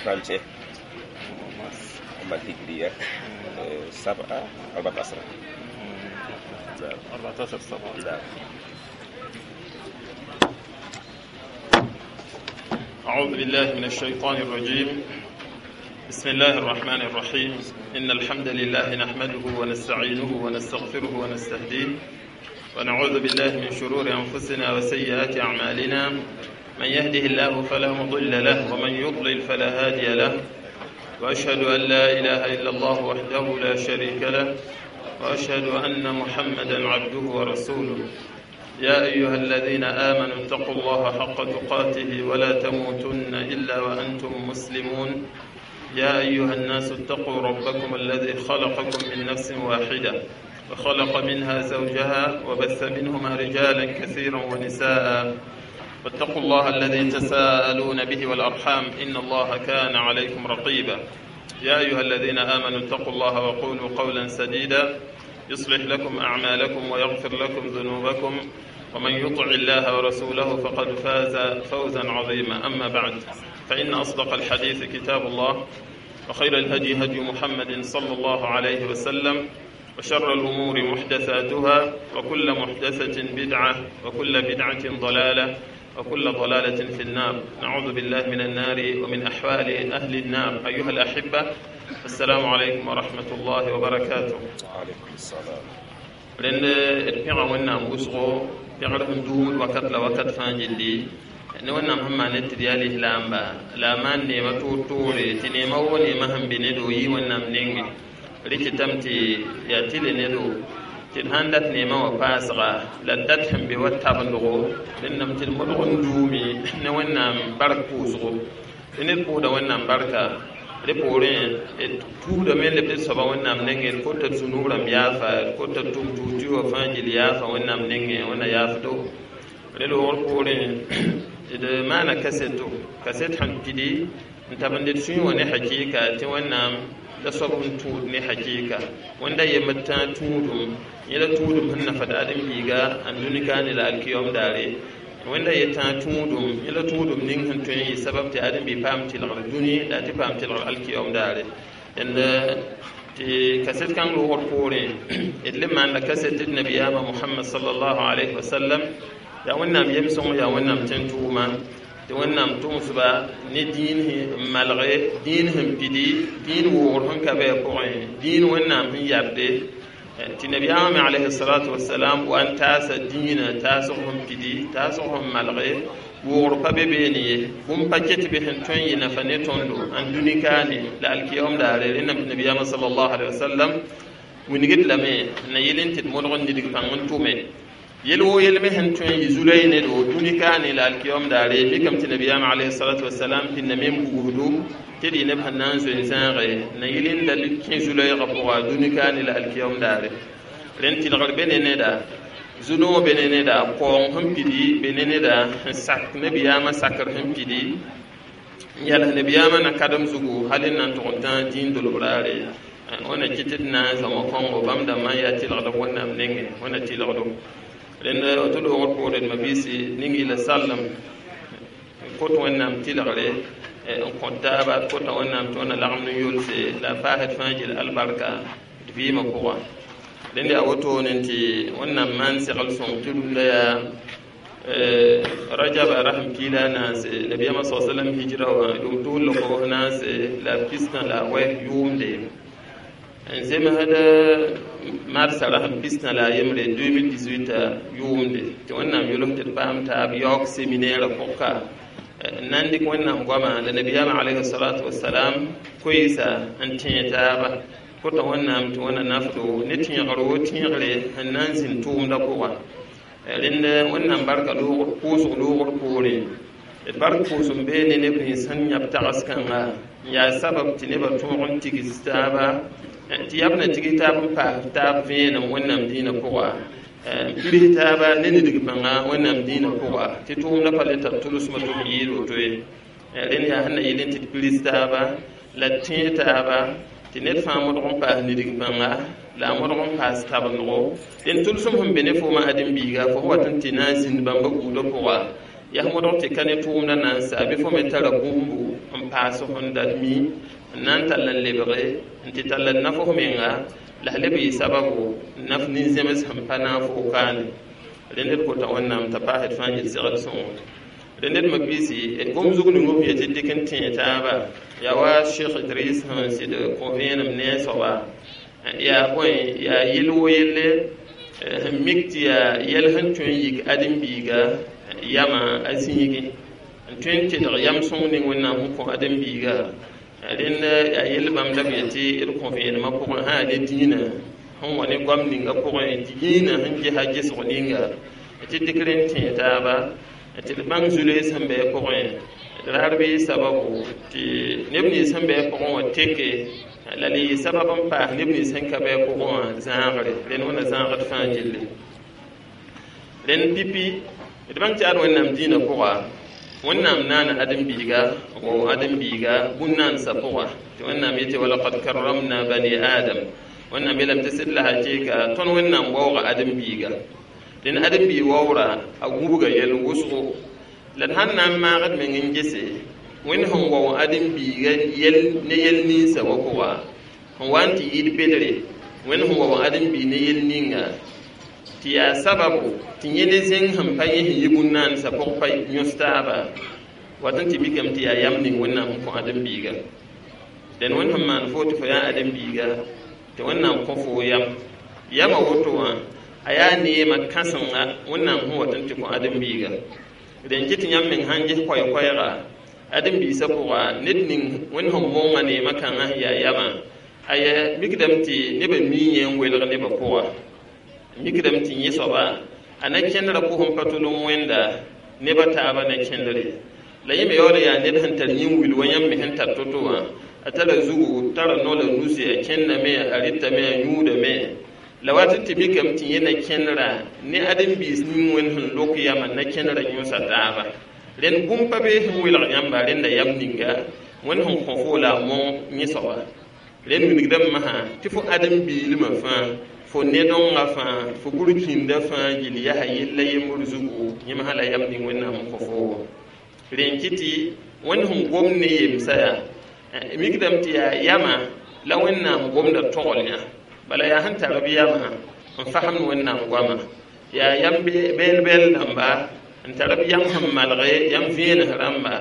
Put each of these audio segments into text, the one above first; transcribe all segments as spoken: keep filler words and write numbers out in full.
trente et un أما الهجرية آه، سبعة أربعة عشر. نعم. أربعة عشر سبعة. نعم. أعوذ بالله من الشيطان الرجيم. بسم الله الرحمن الرحيم. إن الحمد لله نحمده ونستعينه ونستغفره ونستهديه، ونعوذ بالله من شرور أنفسنا وسيئات أعمالنا. من يهده الله فلا مضل له، ومن يضلل فلا هادي له. وأشهد أن لا إله إلا الله وحده لا شريك له، وأشهد أن محمدا عبده ورسوله. يا أيها الذين آمنوا اتقوا الله حق تقاته ولا تموتن إلا وأنتم مسلمون. يا أيها الناس اتقوا ربكم الذي خلقكم من نفس واحدة، وخلق منها زوجها، وبث منهما رجالا كثيرا ونساء. واتقوا الله الذي تساءلون به والأرحام، إن الله كان عليكم رقيبا. يا أيها الذين آمنوا اتقوا الله وقولوا قولا سديدا، يصلح لكم أعمالكم ويغفر لكم ذنوبكم، ومن يطع الله ورسوله فقد فاز فوزا عظيما. أما بعد، فإن أصدق الحديث كتاب الله، وخير الهدي هدي محمد صلى الله عليه وسلم، وشر الأمور محدثاتها، وكل محدثة بدعة، وكل بدعة ضلالة، وكل ضلالة في النار. نعوذ بالله من النار ومن أحوال أهل النار. أيها الأحبة، السلام عليكم ورحمة الله وبركاته. وعليكم السلام. Rẽnd d pẽga Wẽnnaam wʋsgo, pẽgr sẽn duumd wakat la wakat fãa gilli, ne Wẽnnaam sẽn maan tɩ d yaa lislaamba la a maan neema toor-toore, tɩ neema woo neema sẽn be ne do yɩ Wẽnnaam nenge. Rɩkɩtame tɩ yaa tɩ le ne do tɩ d sãn dat neemã wã paasga la d dat sẽn be wa tabendgo, rẽndame tɩ d modg n duume ne Wẽnnaam bark pʋʋsgo. Tɩ ned pʋʋsda Wẽnnaam barka, rẽ poorẽ d tuubdame n leb d soaba Wẽnnaam nengẽ, d kota d zũnub rãmb yaafa, d kota d tʋm tuug wã fãa gill yaafa Wẽnnaam nengẽ, Wẽnna yaafdo. Rẽ loogr poorẽ d maana kaseto, kaset sẽn pidi n tab n d sũyẽ wã ne hakɩɩka tɩ Wẽnnaam la soab sẽn tũud ne hakɩɩka. Wẽnda yembd tãa tũudum, yẽla tũudum sẽn nafad ãdem-biiga ãn dũni kaane la alkiyom daare. Wẽnda ye tãa tũudum, yẽla tũudum ning sẽn tõe n yɩ sabab tɩ ãdem-bi paam tɩlgr dũni la tɩ paam tɩlgr alkiyom daare. Dẽnd tɩ kaset kãng loogr poorẽ d le maanda kaset tɩ d nabiyaamã Mohamad sallallahu alayhi wa sallam yaa Wẽnnaam yem-sõng, yaa Wẽnnaam tẽn-tʋʋma, tɩ Wẽnnaam tʋgsba ne dĩin n malge, dĩin sẽn pidi, dĩin woogr sẽn ka bɩ a pʋgẽ, dĩin Wẽnnaam sẽn yabde, tɩ nabiyaamã me alayhi salatu wasalam wa n taasa dĩinã, taasg sẽn pidi, taasg sẽn malge, woogr pa be beene ye, bũmb pa ket be sẽn tõe n yɩ nafa ne tõndo ãn dũni kaane la alkiyom daare. Rẽndame tɩ nabiyaamã sallallahu alaihi wasallam wilgd lame n na yɩl n tɩ d modg n nidg pãng n tʋme yel woo yel me sẽn tõe n yɩ zulay ne do dũni kaane la alkiyom daare. Mikame tɩ nabiyaamã alayhi salatu wasalam pĩndame n bugsdo tɩ d yɩ neb sẽn na n zoe n zãage na yɩl n da kẽ zu-loeegã pʋga dũni kaane la alkiyom daare. Rẽnd tɩlgr be ne neda, zu-noog be ne neda, kaoong sẽn pidi be ne neda, sẽn sak nabiyaamã sakr sẽn pidi n yals nabiyaamã na kadem zugu hal n na n tʋg n tãag dĩin dolb raare. Wẽnna kɩ tɩ d na n zãma kõngo bãmb dãmbã n yaa tɩlgdb Wẽnnaam nengẽ, Wẽnna tɩlgdo. Rẽnd tɩ loogr poore d mabiisi ning yɩla sallem kot Wẽnnaam tɩlgre n kõt taaba, d kota Wẽnnaam tɩ Wẽnna lagem n yolse la a paasd fãa gil albarka d vɩɩmã pʋga. Rẽnd yaa wotone tɩ Wẽnnaam maan segl sõng tɩ rũndã yaa rajaba rasẽn piila a naase, nabiyaamã sa sallam hijra wã yʋʋm tʋʋl la kobs naase la pistã la a wɛ yʋʋmde, n zemsd marsã rasẽn pistã la a yembre deux mille dix-huit yʋʋmde, tɩ Wẽnnaam yols tɩ d paam taab yaoog seminaire pʋgka n na n dɩk Wẽnnaam goama la nabiyaamã alayhi salatu wasalam koeesa n tẽe taaba. Kota Wẽnnaam tɩ Wẽnna nafdo ne tẽegr wo tẽegre sẽn na n zĩnd tʋʋmdã pʋga. Rẽnd Wẽnnaam barka loogr pʋʋsg loogr poorẽ, d bark pʋʋsem bee ne neb nins sẽn yãb tags kãnga n yaa sabab tɩ nebã tõog n tigs taaba, tɩ yab na tigs taab n paas taab vẽenem Wẽnnaam dĩinã pʋga, n pirs taaba ne nidg bãnga Wẽnnaam dĩinã pʋga, tɩ tʋʋmdã pa le tar tʋlsmã tɩ b yɩɩd woto ye. Rẽnd yaa sẽn na yɩl n tɩ d pirs taaba la d tẽeg taaba, tɩ ned fãa modg n paas nidg bãnga la a modg n paas tabendgo. Dẽn tʋlsem sẽn be ne foomã ãdem-biiga, fo wat n tɩ na n zĩnd bãmba buudã pʋga. Yaa modg tɩ ka ne tʋʋmdã na n sa bɩ fo me tara bũmbu n paas sẽn dat mi n na n tall n lebge n tɩ tall n naf f menga la f leb yɩ sababu n naf nin-zẽms sẽn pa naag fo kaane rẽnd d kota Wẽnnaam t'a paas d fãa yel segd sõngo rẽnd d mabiisi d gom zug ning b yetɩ dɩk n tẽe taaba yaa wa Sheikh Idris sẽn sɩd kõ vẽenem ne a soaba yaa bõe yaa yel wo yelle sẽn mik tɩ yaa yɛl sẽn tõe n yik ãdem-biiga yamã a zĩigẽ n tõe n tedg yam sõng ning Wẽnnaam sẽn kõ ãdem-biiga rẽnd yaa yell bãmb la b yetɩ d kõ vẽenemã pʋgẽ sã yaa ne dĩinã sẽn wa ne goam ninga pʋgẽ dĩinã sẽn gesa gesg ninga tɩ dɩk rẽnd tẽe taaba tɩ d bãng zu-loees sẽn bɩ a pʋgẽ d raar bɩ sababu tɩ neb nins sẽn bɩ a pʋgẽ wã teke la le yɩ sabab n paas neb nins sẽn ka bɩ a pʋgẽ wã zãagre rẽnd wẽnna zãagd fãa gilli rẽnd pipi d bãng tɩ ad Wẽnnaam dĩinã pʋga Wẽnnaam naana ãdem-biiga n wao ãdem-biiga bũn-naansã pʋga tɩ Wẽnnaam yetɩ walaqad karramna bani adam Wẽnnaam yeelame tɩ sɩd la hakɩɩka tõnd Wẽnnaam waooga ãdem-biiga dẽn ãdem-biig waoora a gũbga yɛl wʋsgo la d sãn na n maagd meng n gese Wẽnd sẽn wao ãdem-biiga yɛl ne yɛl ninsã wa pʋga sẽn wa n tɩ yɩɩd bedre Wẽnd sẽn wao ãdem-biig ne yɛl ninga tɩ yaa sababu tɩ yẽd zẽng sẽn pa yẽ sẽn yi bũn-naansã pʋg pa yõs taaba wat n tɩ mikame tɩ yaa yam ning Wẽnnaam sẽn kõ ãdem-biiga dẽn Wẽnd sẽn maan fo tɩ fo yaa ãdem-biiga tɩ Wẽnnaam kõ fo yam yamã woto wã a yaa neemã kãsenga Wẽnnaam sẽn wat n tɩ kõ ãdem-biiga dẽn kɩ tɩ yãmb meng sãn ges koɛɛ-koɛɛga ãdem-biisã pʋga ned ning Wẽnd sẽn monga neemã kãngã sẽn yaa yamã aya mikdame tɩ nebã mii yẽ n welg nebã pʋga mikdame tɩ yẽ soaba a na kẽndrã pʋsẽ pa tol n wẽnda nebã taabã na kẽndre la yẽ me yaool n yaa ned sẽn tar yĩn-wil wa yãmb me sẽn tar to-to wã a tara zugu tara no la nusi a kẽndame a rɩtame a yũudame la wat n tɩ mikame tɩ yẽ na kẽndra ne ãdem-biis ning Wẽnd sẽn lok yamã na kẽndra yõsa taaba rẽnd bũmb pa bee sẽn welg yãmba rẽnda yam ninga Wẽnd sẽn kõ fo la a mong yẽ soaba rẽnd wilgdame masã tɩ fo ãdem-biilmã fãa fo nedonga fãa fo burkĩndã fãa gill yaa yella yembr zugu yẽ masã la yam ning Wẽnnaam n kõ fo rẽn kɩ tɩ Wẽnd sẽn gom ne yemsã yaa mikdame tɩ yaa yamã la Wẽnnaam gomda togl yã bala yaa sẽn tar b yamã n fasemd Wẽnnaam goama yaa yam bɛɛl-bɛɛl dãmba n tar b yam sẽn malge yam vẽenes rãmba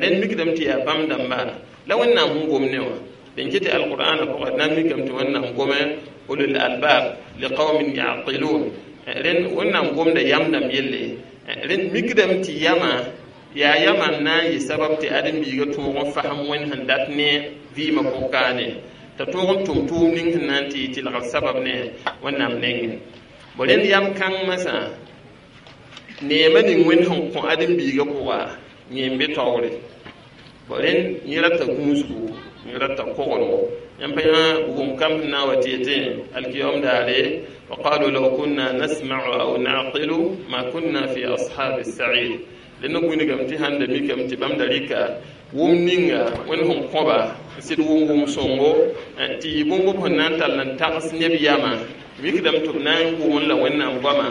rẽnd mikdame tɩ yaa bãmb dãmba la Wẽnnaam sẽn gom ne wã dẽn kɩ tɩ alqur'ana pʋgã d na n mikame tɩ Wẽnnaam gome ulul albab liqaumin yaqilun rẽnd Wẽnnaam gomda yam dãmb yelle rẽnd mikdame tɩ yamã yaa yamã n na n yɩ sabab tɩ ãdem-biigã tõog n fasem Wẽnd sẽn dat ne vɩɩmã pʋg-kaane t'a tõog n tʋm tʋʋm ning sẽn na n tɩ yɩ tɩlgr sabab ne Wẽnnaam nengẽ bo rẽnd yam kãng masã neemã ning Wẽnd sẽn kõ ãdem-biigã pʋga yẽ n be taoore bo rẽnd yẽ rata gũusgu yẽ rata koglgo yãmb pa yã bugum kam sẽn na n wa tɩ yetẽ alkiyom daare wa qalu law kunna nasma'u aw na'qilu ma kunna fi ashabi as-sa'ir rẽnd gũnigame tɩ sãn da mikame tɩ bãmb da rɩka wʋm ninga Wẽnd sẽn kõba n sɩd wʋm wʋm sõngo tɩ yɩ bũmb b sẽn na n tall n tags neb yamã mikdame tɩ b na n wʋmn la Wẽnnaam goamã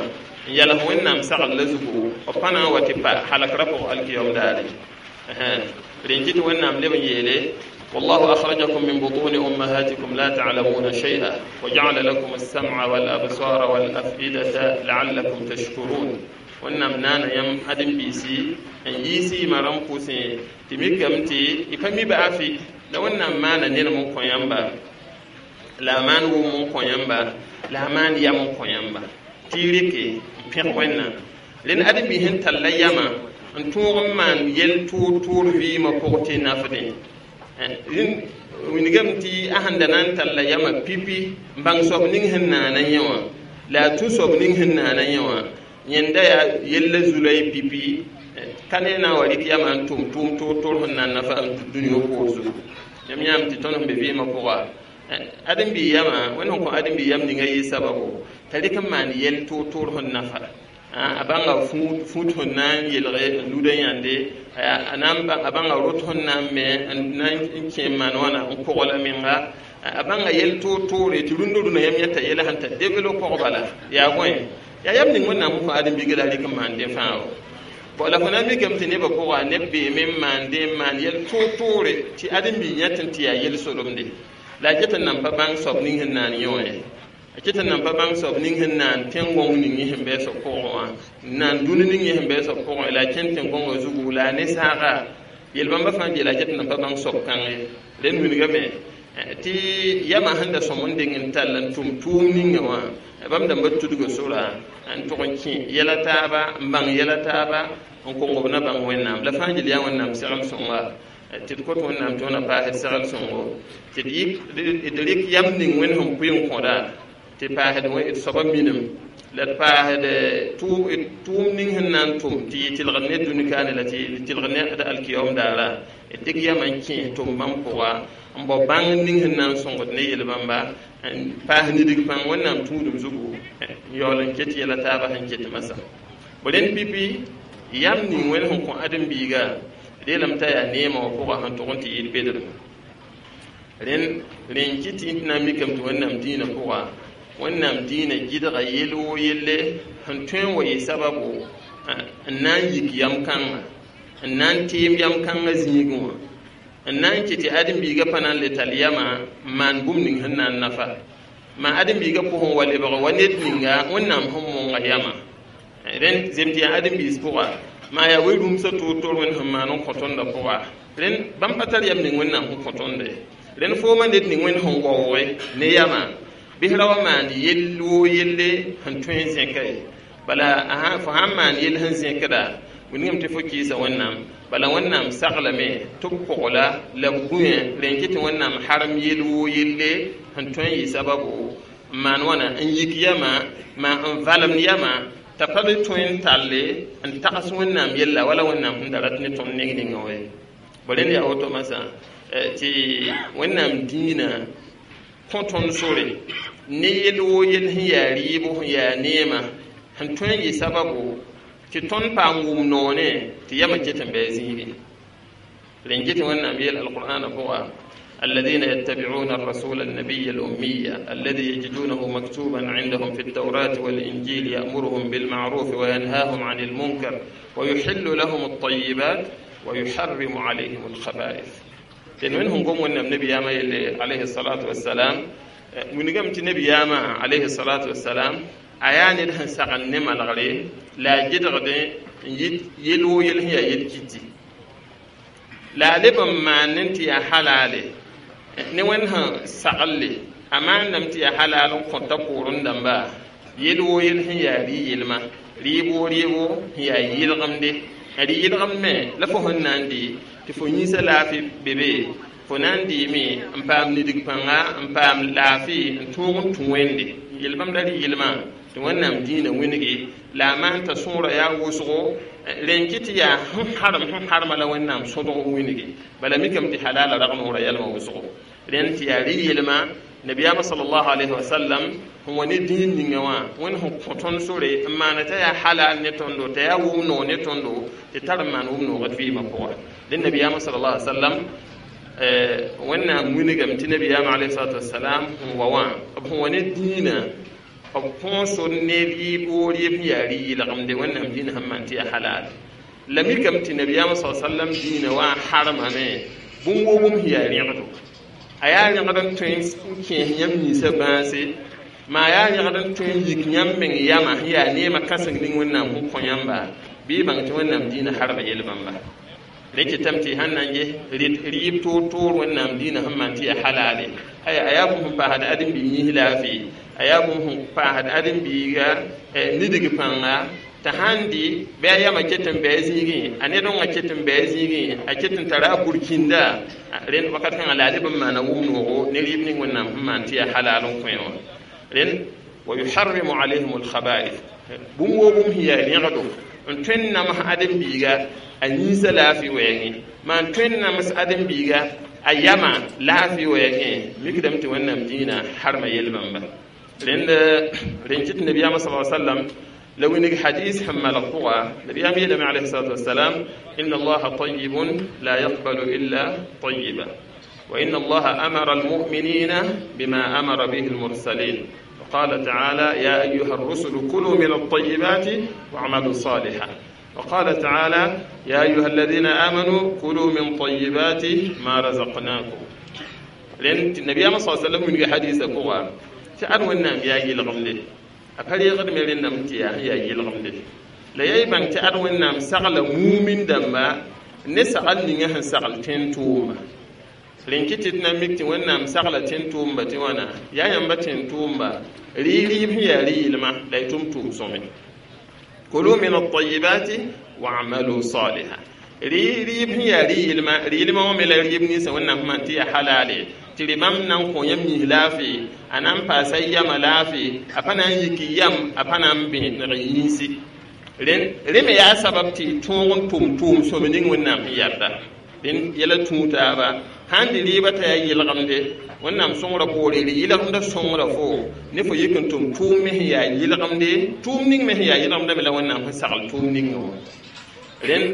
n yals Wẽnnaam sagl la zugu b pa na n wa tɩ pa halkrã pʋg alkiyom daare rẽn kɩ tɩ Wẽnnaam leb n yeele والله أخرجكم من بطون أمهاتكم لا تعلمون شيئا وجعل لكم السمع والأبصار والأفئدة لعلكم تشكرون Wẽnnaam naana yãmb ãdem-biisi n yiisi yɩma rãmb pʋsẽ tɩ mikame tɩ y pa mi baafi la Wẽnnaam maana nenem n kõ yãmba la a maan wʋm n kõ yãmba la a maan yam n kõ yãmba tɩ y rɩke n pẽg Wẽnnaam rẽnd ãdem-biis sẽn talla yamã n tõog n maan yɛl tʋʋr-tʋʋr vɩɩmã pʋg tɩ nafdẽ wilgame tɩ a sẽn da na n talla yamã pipi n bãng soab ning sẽn naana yẽ wã la a tũ soab ning sẽn naana yẽ wã yẽnda yaa yella zulay pipi ka ne na n wa rɩk yamã n tʋm tʋʋm toor-toor sẽn na n nafa n tũ dũniyã poor zugu yãmb yãam tɩ tõnd sẽn be vɩɩmã pʋga ãdem-biig yamã Wẽnd sẽn kõ ãdem-biig yam ninga yɩ sababu t'a rɩk n maan yɛl toor-toor sẽn nafa a bãnga fũut sẽn na n yelge n luda yãnde a bãnga rot sẽn na n me n na n kẽ n maan wãna n kogla menga a bãnga yɛl toor-toore tɩ rũndã rũnã yãmb yãta yɛla sẽn ta develop pʋg bala yaa bõe yaa yam ning Wẽnnaam sẽn kõ ãdem-biigã la a rɩk n maan dẽ fãa wa Bõ la fo na n mikame tɩ nebã pʋga neb beeme n maan dẽ n maan yɛl toor-toore tɩ ãdem-biig yã tɩ tɩ yaa yel-solemde la a ket n nan pa bãng soab ning sẽn naan yõ ye a ket n nan pa bãng soab ning sẽn naan tẽn-gõng ning yẽ sẽn bɩ a soab pʋgẽ wã n naan dũni ning yẽ sẽn bɩ a soab pʋgẽ la a kẽn tẽn-gõngã zugu la a ne saaga yel-bãmba fãa n la a ket n nan pa bãng soab kãng ye rẽnd wilgame tɩ yamã sẽn da sõm n deng n tall n tʋm tʋʋm ninga wã bãmb dãmba tudga sora n tʋg n kẽ yɛla taaba n bãng yɛla taaba n kong b na bãng wẽnnaam la fãa gil yaa wẽnnaam segl sõnga tɩ d kot wẽnnaam tɩ wẽna paasd segl sõngo tɩ d rɩk yam ning wẽnd sẽn pʋɩ n kõda tɩ paasd d soaba minim la d paasd tʋʋm ning sẽn na n tʋm tɩ yɩ tɩlgd ne dũni kaane la tɩ tɩlgd ne d alkiyaoom daara d dɩk yamã n kẽes tʋm bãmb pʋga n bao bãng ning sẽn na n sõngd ne yel-bãmba n paas nidg pãng wẽnnaam tũudum zugu n yaool n ket yɛla taaba sẽn ket masã bõ rẽnd pipi yam ning wẽnd sẽn kõ ãdem-biiga reelame t'a yaa neemã wã pʋga sẽn tʋg n tɩ yɩɩd bedrem rẽnd rẽn kɩ tɩ tɩ na n mikame tɩ wẽnnaam dĩinã pʋga wẽnnaam dĩinã gɩdga yel woo yelle sẽn tõe n wa yɩ sababu n na n yik yam kãnga n na n teem yam kãngã zĩigẽ wã n na n kɩ tɩ ãdem-biigã pa na n le tall yamã n maan bũmb ning sẽn na n nafa maa ãdem-biigã pʋgẽ wa lebg wa ned ninga wẽnnaam sẽn monga yamã rẽnd zem tɩ yaa ãdem-biis pʋga maa yaa we-rũmsã toor-toor wẽnd sẽn maan n kõ tõndã pʋga rẽnd bãmb pa tar yam ning wẽnnaam sẽn kõ tõnde rẽnd foomã ned ning wẽnd sẽn waooge ne yamã bɩs ra wa maan yell woo yelle sẽn tõe n zẽka ye bala fo sãn maan yell sẽn zẽkda wilgame tɩ fo kɩɩsa wẽnnaam bala wẽnnaam saglame tɩ b kogla la b gũyã rẽn kɩ tɩ wẽnnaam harem yel woo yelle sẽn tõe n yɩ sababu n maan wãna n yik yamã maa n valemd yamã t'a pa le tõe n talle n tags wẽnnaam yella wala wẽnnaam sẽn da rat ne tõnd neng ninga wa ye bõ rẽnd yaa woto masã tɩ wẽnnaam dĩinã kõ tõnd sore ne yel woo yell sẽn yaa rɩɩbo sẽn yaa neemã sẽn tõe n yɩ sababu tɩ tõnd paam wʋm noone tɩ yamã ket n bɩ a zĩigẽ rẽn ket wẽnnaam yeel alqur'ana pʋga الذين يتبعون الرسول النبي الأمي الذي يجدونه مكتوبا عندهم في التوراة والإنجيل يأمرهم بالمعروف وينهاهم عن المنكر ويحل لهم الطيبات ويحرم عليهم الخبائث لأن منهم قوم النبي ياما عليه الصلاة والسلام من قمت النبي ياما عليه الصلاة والسلام أيان لهن سغن نما الغري لا جدغد يلو يلهي يلكتي لا لبن ما ننتي حلالي ne wẽnd sẽn saglle a maandame tɩ yaa halal n kõta pʋʋrẽ dãmba yel woo yel sẽn yaa rɩ-yelma rɩɩb woo rɩɩbo sẽn yaa yɩlgemde a rɩ-yɩlgemd me la fo sẽn na n dɩ tɩ fo yĩnsã laafɩ be be fo na n dɩɩme n paam nidg pãnga n paam laafɩ n tõog n tũ wẽnde yel bãmb la rɩ-yelmã tɩ wẽnnaam dĩinã wĩnge la a maan t'a sõora yaa wʋsgo rẽn kɩ tɩ yaa sẽn harem sẽn harma la wẽnnaam sõdg wĩnge bala mikame tɩ halala rag noorã yɛlmã wʋsgo rẽnd tɩ yaa rɩ-yelmã nabiyaamã sallallahu alayhi wa sallam sẽn wa ne dĩin ninga wã wẽnd sẽn kõ tõnd sore n maana t'a yaa halal ne tõndo t'a yaa wʋm noog ne tõndo tɩ tar n maan wʋm noogd vɩɩmã pʋga dẽn nabiyaamã sallallahu alayhi wa sallam wẽnnaam wilgame tɩ nabiyaamã alayhi salatu wasalam sẽn wa wã b sẽn wa ne dĩinã b kõo sor ne rɩɩb woo rɩɩb sẽn yaa rɩ-yɩlgemde wẽnnaam dĩinã sẽn maan tɩ yaa halal la mikame tɩ nabiyaamã sa sallam dĩinã wã harmame bũmb woo bũmb sẽn yaa rẽgdo a yaa rẽgd n tõe n kẽes yãmb ninsã bãase maa yaa rẽgd n tõe n yik yãmb meng yamã sẽn yaa neemã kãseng ning wẽnnaam sẽn kõ yãmba bɩ y bãng tɩ wẽnnaam dĩinã harma yel-bãmba rẽ kɩtame tɩ sãn na n ges rɩɩb toor-toor wẽnnaam dĩinã sẽn maan tɩ yaa halale aya a yaa bũmb sẽn paasd ãdem-biig yĩs laafɩ a yaa bũmb sẽn paasd ãdem-biiga nidg pãnga t'a sãn dɩ bɩ a yamã ket n bɩ a zĩigẽ a ned wãngã ket n bɩ a zĩigẽ a ket n tara a burkĩnda rẽnd wakat kãngã la a leb n maana wʋm noogo ne rɩɩb ning wẽnnaam sẽn maan tɩ yaa halal n kõ wã rẽnd wa yuharrimu alayhim alkhaba'ith bũmb woo bũmb sẽn yaa rẽgdo n tõe n nams ãdem-biiga a yĩnsã laafɩ wɛɛngẽ maa n tõe n nams ãdem-biiga a yamã laafɩ wɛɛngẽ mikdame tɩ wẽnnaam dĩinã harma yel-bãmba rẽnd rẽn kɩt nabiyaamã sa sallam la winig hadis sẽn malg pʋga nabiyaam yeelame alayhi salatu wasalam inna allaha tayibun la yaqbalu illa tayiba wa inna allaha amara almuminina bima amara bihi almursalin وقال تعالى يا أيها الرسل كلوا من الطيبات واعملوا صالحا وقال تعالى يا أيها الذين آمنوا كلوا من طيبات ما رزقناكم لأن النبي صلى الله عليه وسلم من حديث قوة تأن ونام يا يلغم أفري غد ملين نمتي يا يلغم لا يبان تأن ونام سغل مؤمن دما نسأل نيجه سغل تنتوما لأن كتبنا مكت ونام سغل تنتوما توانا يا ينبت تنتوما ريلي هي ريلما لا يتم سومي كلوا من الطيبات واعملوا صالحا ريلي هي ريلما ريلما وملا ريبني سونا ما تي حلالي tɩ bãmb na n kõ yãmb yĩs laafɩ a na n paasa yama laafɩ a pa na n yik yam a pa na n bẽeneg yĩnsi rẽ me yaa sabab tɩ tõog n tʋm tʋʋm sõm ning Wẽnnaam sẽn yarda rẽnd yɛla tũu taaba sãn dɩ rɩɩbã t'a yaa yɩlgemde Wẽnnaam sõngrã poore rɩ yɩlgemdã sõngra fo ne fo yik n tʋm tʋʋm me sẽn yaa yɩlgemde tʋʋm ning me sẽn yaa yɩlgemdã me la Wẽnnaam sẽn sagl tʋʋm ninga wã rẽnd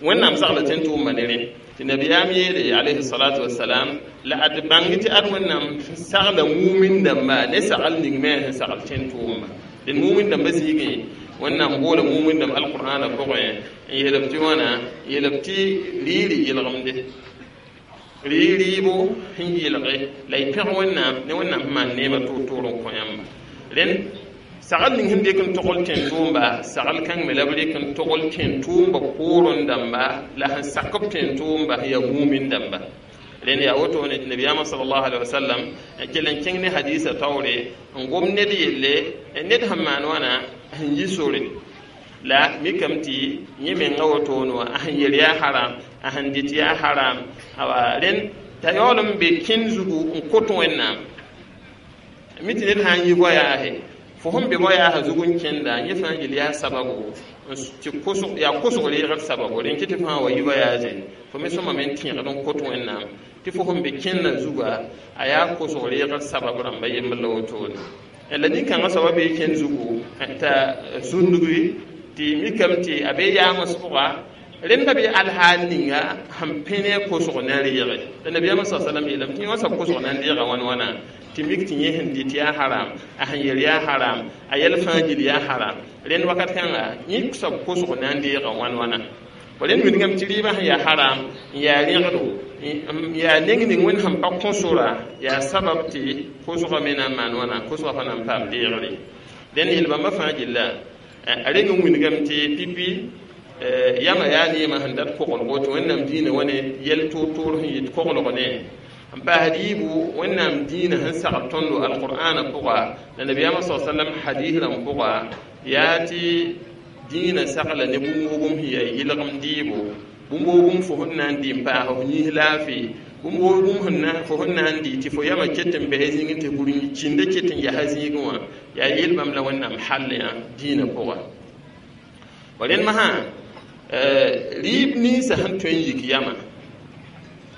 Wẽnnaam sagla tẽn tʋʋmba ne rẽ tɩ nabiyaam yeele alayhi salatu wasalam la ad bãng tɩ ad Wẽnnaam sagla mumin dãmba ne sagl ning me sẽn sagl tẽn tʋʋmba dẽn mumin dãmba zĩigẽ Wẽnnaam boola mumin dãmb alqur'ana pʋgẽ n yeelb tɩ wãna yeelb tɩ rɩɩ yɩlgemde rɩ rɩɩbo sẽn yɩlge la y pẽg Wẽnnaam ne Wẽnnaam sẽn maan neemã toor-toor n kõ yãmba rẽnd sagl ning sẽn dɩk n togl tẽn tʋʋmba sagl kãng me la b rɩk n togl tẽn tʋʋmba poorẽ dãmba la sẽn sak b tẽn tʋʋmba sẽn yaa mumin dãmba rẽnd yaa wotone tɩ nabiyaamã salallahu alaihi wasallam kell n kẽng ne hadiisa taoore n gom ned yelle ned sẽn maan wãna sẽn yi sore la mikame tɩ yẽ menga wotone wã a sẽn yel yaa haram a sẽn dɩt yaa haram awa rẽnd t'a yaool n be kẽnd zugu n kot Wẽnnaam mi tɩ ned sã n yi voyage fo sẽn be voyage zug n kẽnda yẽ fãa yel yaa sababu tɩ kosg yaa kosg reegd sababu rẽn kɩ tɩ fãa wa yi voyage fo me sõma me n tẽegd n kot Wẽnnaam tɩ fo sẽn be kẽndã zuga a yaa kosg reegd sabab rãmba yembr la wotone la nin-kãngã soaba bee kẽnd zugu t'a zũndgi tɩ mikame tɩ a be yaams pʋga rẽnda be alhaal ninga sẽn pẽ ne a kosg na n reege la nabiyaamã sa salam yeelame tɩ yẽ wã soab kosg na n deega wãn wãna tɩ mik tɩ yẽ sẽn dɩt yaa haram a sẽn yel yaa haram a yɛl fãa gil yaa haram rẽnd wakat kãnga yẽ soab kosg na n deega wãn wãna rẽnd wilgame tɩ rɩɩbã sẽn yaa haram n yaa rẽgdo n yaa neng ning Wẽnd sẽn pa kõ sora yaa sabab tɩ kosgã me na n maan wãna kosgã pa na n paam deegre dẽnd yel-bãmba fãa gilla a reng n wilgame tɩ pipi yama yaa neemã sẽn dat koglgo tɩ Wẽnnaam dĩinã wa ne yɛl toor-toor sẽn yit koglg ne n paas rɩɩbo Wẽnnaam dĩinã sẽn sagl tõndo alqur'ana pʋga la nabiyaamã sa sallam hadis rãmb pʋga yaa tɩ dĩinã sagla ne bũmb-wogem sẽn yaa yɩlgem dɩɩbo bũmb-wogem fo sẽn na n dɩ n paas f yĩs laafɩ bũmb-wogem sẽn na fo sẽn na n dɩ tɩ fo yamã ket n bɛs zĩigẽ tɩ gũr kĩndã ket n yasa zĩigẽ wã yaa yel-bãmb la Wẽnnaam hall yã dĩinã pʋga rẽnd masã rɩɩb ninsã sẽn tõe n yik yamã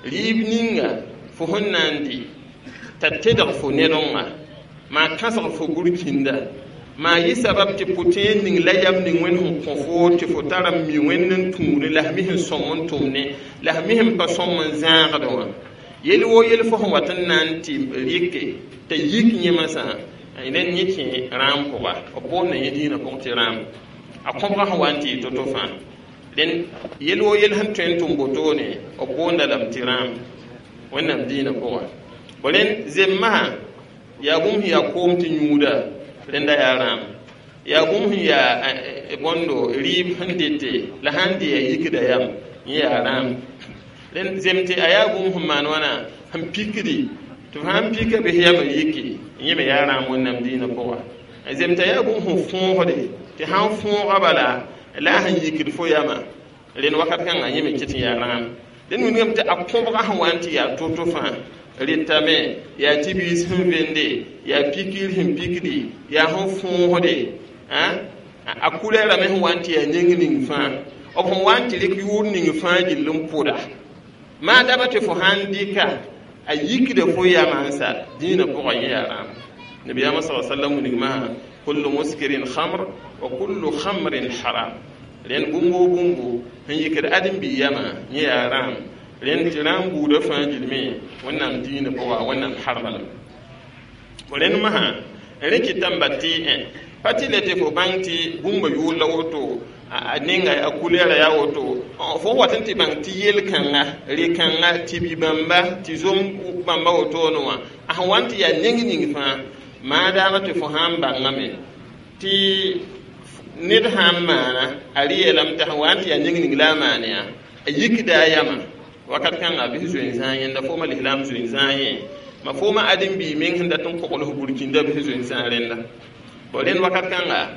rɩɩb ninga fo sẽn na n dɩ t'a tedg fo nedonga maa kãsg fo gũr-kĩnda maa yɩ sabab tɩ pʋtẽer ning la yam ning Wẽnd sẽn kõ foo tɩ fo tara n mi Wẽnd n tũud la f mi sẽn sõm n tʋmne la f mi sẽn pa sõm n zãagd wã yel woo yel fo sẽn wat n na n tɩ rɩke t'a yik yẽmasã rẽnd yẽ kẽ rãam pʋga b boonda yẽ dĩinã pʋgẽ tɩ rãam a kõbga sẽn wa n tɩ yɩ to-to fãa rẽnd yel woo yel sẽn tõe n tʋm botone b boonda lame tɩ rãam Wẽnnaam dĩinã pʋga rẽnd zemmasã yaa bũmb sẽn yaa koom tɩ yũuda rẽnda yaa rãam yaa bũmb sẽn yaa bõndo rɩɩb sẽn dete la sãn dɩ yaa yikda yam yẽ yaa rãam rẽnd zem tɩ a yaa bũmb sẽn maan wãna sẽn pikdi tɩ f sãn pika bɩs yamã yiki yẽ me yaa rãam Wẽnnaam dĩinã pʋga zem t'a yaa bũmb sẽn fõosde tɩ sãn fõoga bala la a sẽn yikd fo yamã rẽnd wakat kãngã yẽ me ket n yaa rãam dẽnd wilgame tɩ a kõbga sẽn wa n tɩ yaa to-to fãa rɩtame yaa tɩ biis sẽn vende yaa pikir sẽn pikdi yaa sẽn fõosde a kulɛɛrame sẽn wa n tɩ yaa neng ning fãa b sẽn wa n tɩ rɩk yʋʋr ning fãa gill n pʋda maa daba tɩ fo sãn dɩka a yikda fo yamãnsa dĩinã pʋgã yẽ yaa rãam nabiyaamã sa sallam wilgmã kullu muskirin khamr wa kullu khamrin haram rẽnd bũmb woo bũmbu sẽn yikd ãdem-bi yamã yẽ yaa rãam rẽnd tɩ rãam buudã fãa gilme Wẽnnaam dĩinã pʋga Wẽnnaam harma lame rẽnd masã rẽ kɩtame ba tɩ Pa tɩ le tɩ fo bãng tɩ bũmba yʋʋr la woto, a ninga a kulɛɛra yaa woto. Fo wat n tɩ bãng tɩ yel-kãnga, rɩ-kãnga, tɩ bi-bãmba, tɩ zom bãmba wotone wã, a sẽn wa n tɩ yaa neng ning fãa, maadaama tɩ fo sã n bãngame tɩ ned sã n maana, a rɩ yeelame tɩ sẽn wa n tɩ yaa neng ning la a maan yaa, a yikda a yama wakat kãnga bɩ zoe n zãag yẽnda. Fooma lislaam zoe n zãag yẽ ma fooma ãdem-biig meng sẽn dat n kogls burkĩnda, bɩ zoe n zãag rẽnda. Bon, rẽnd wakat kãnga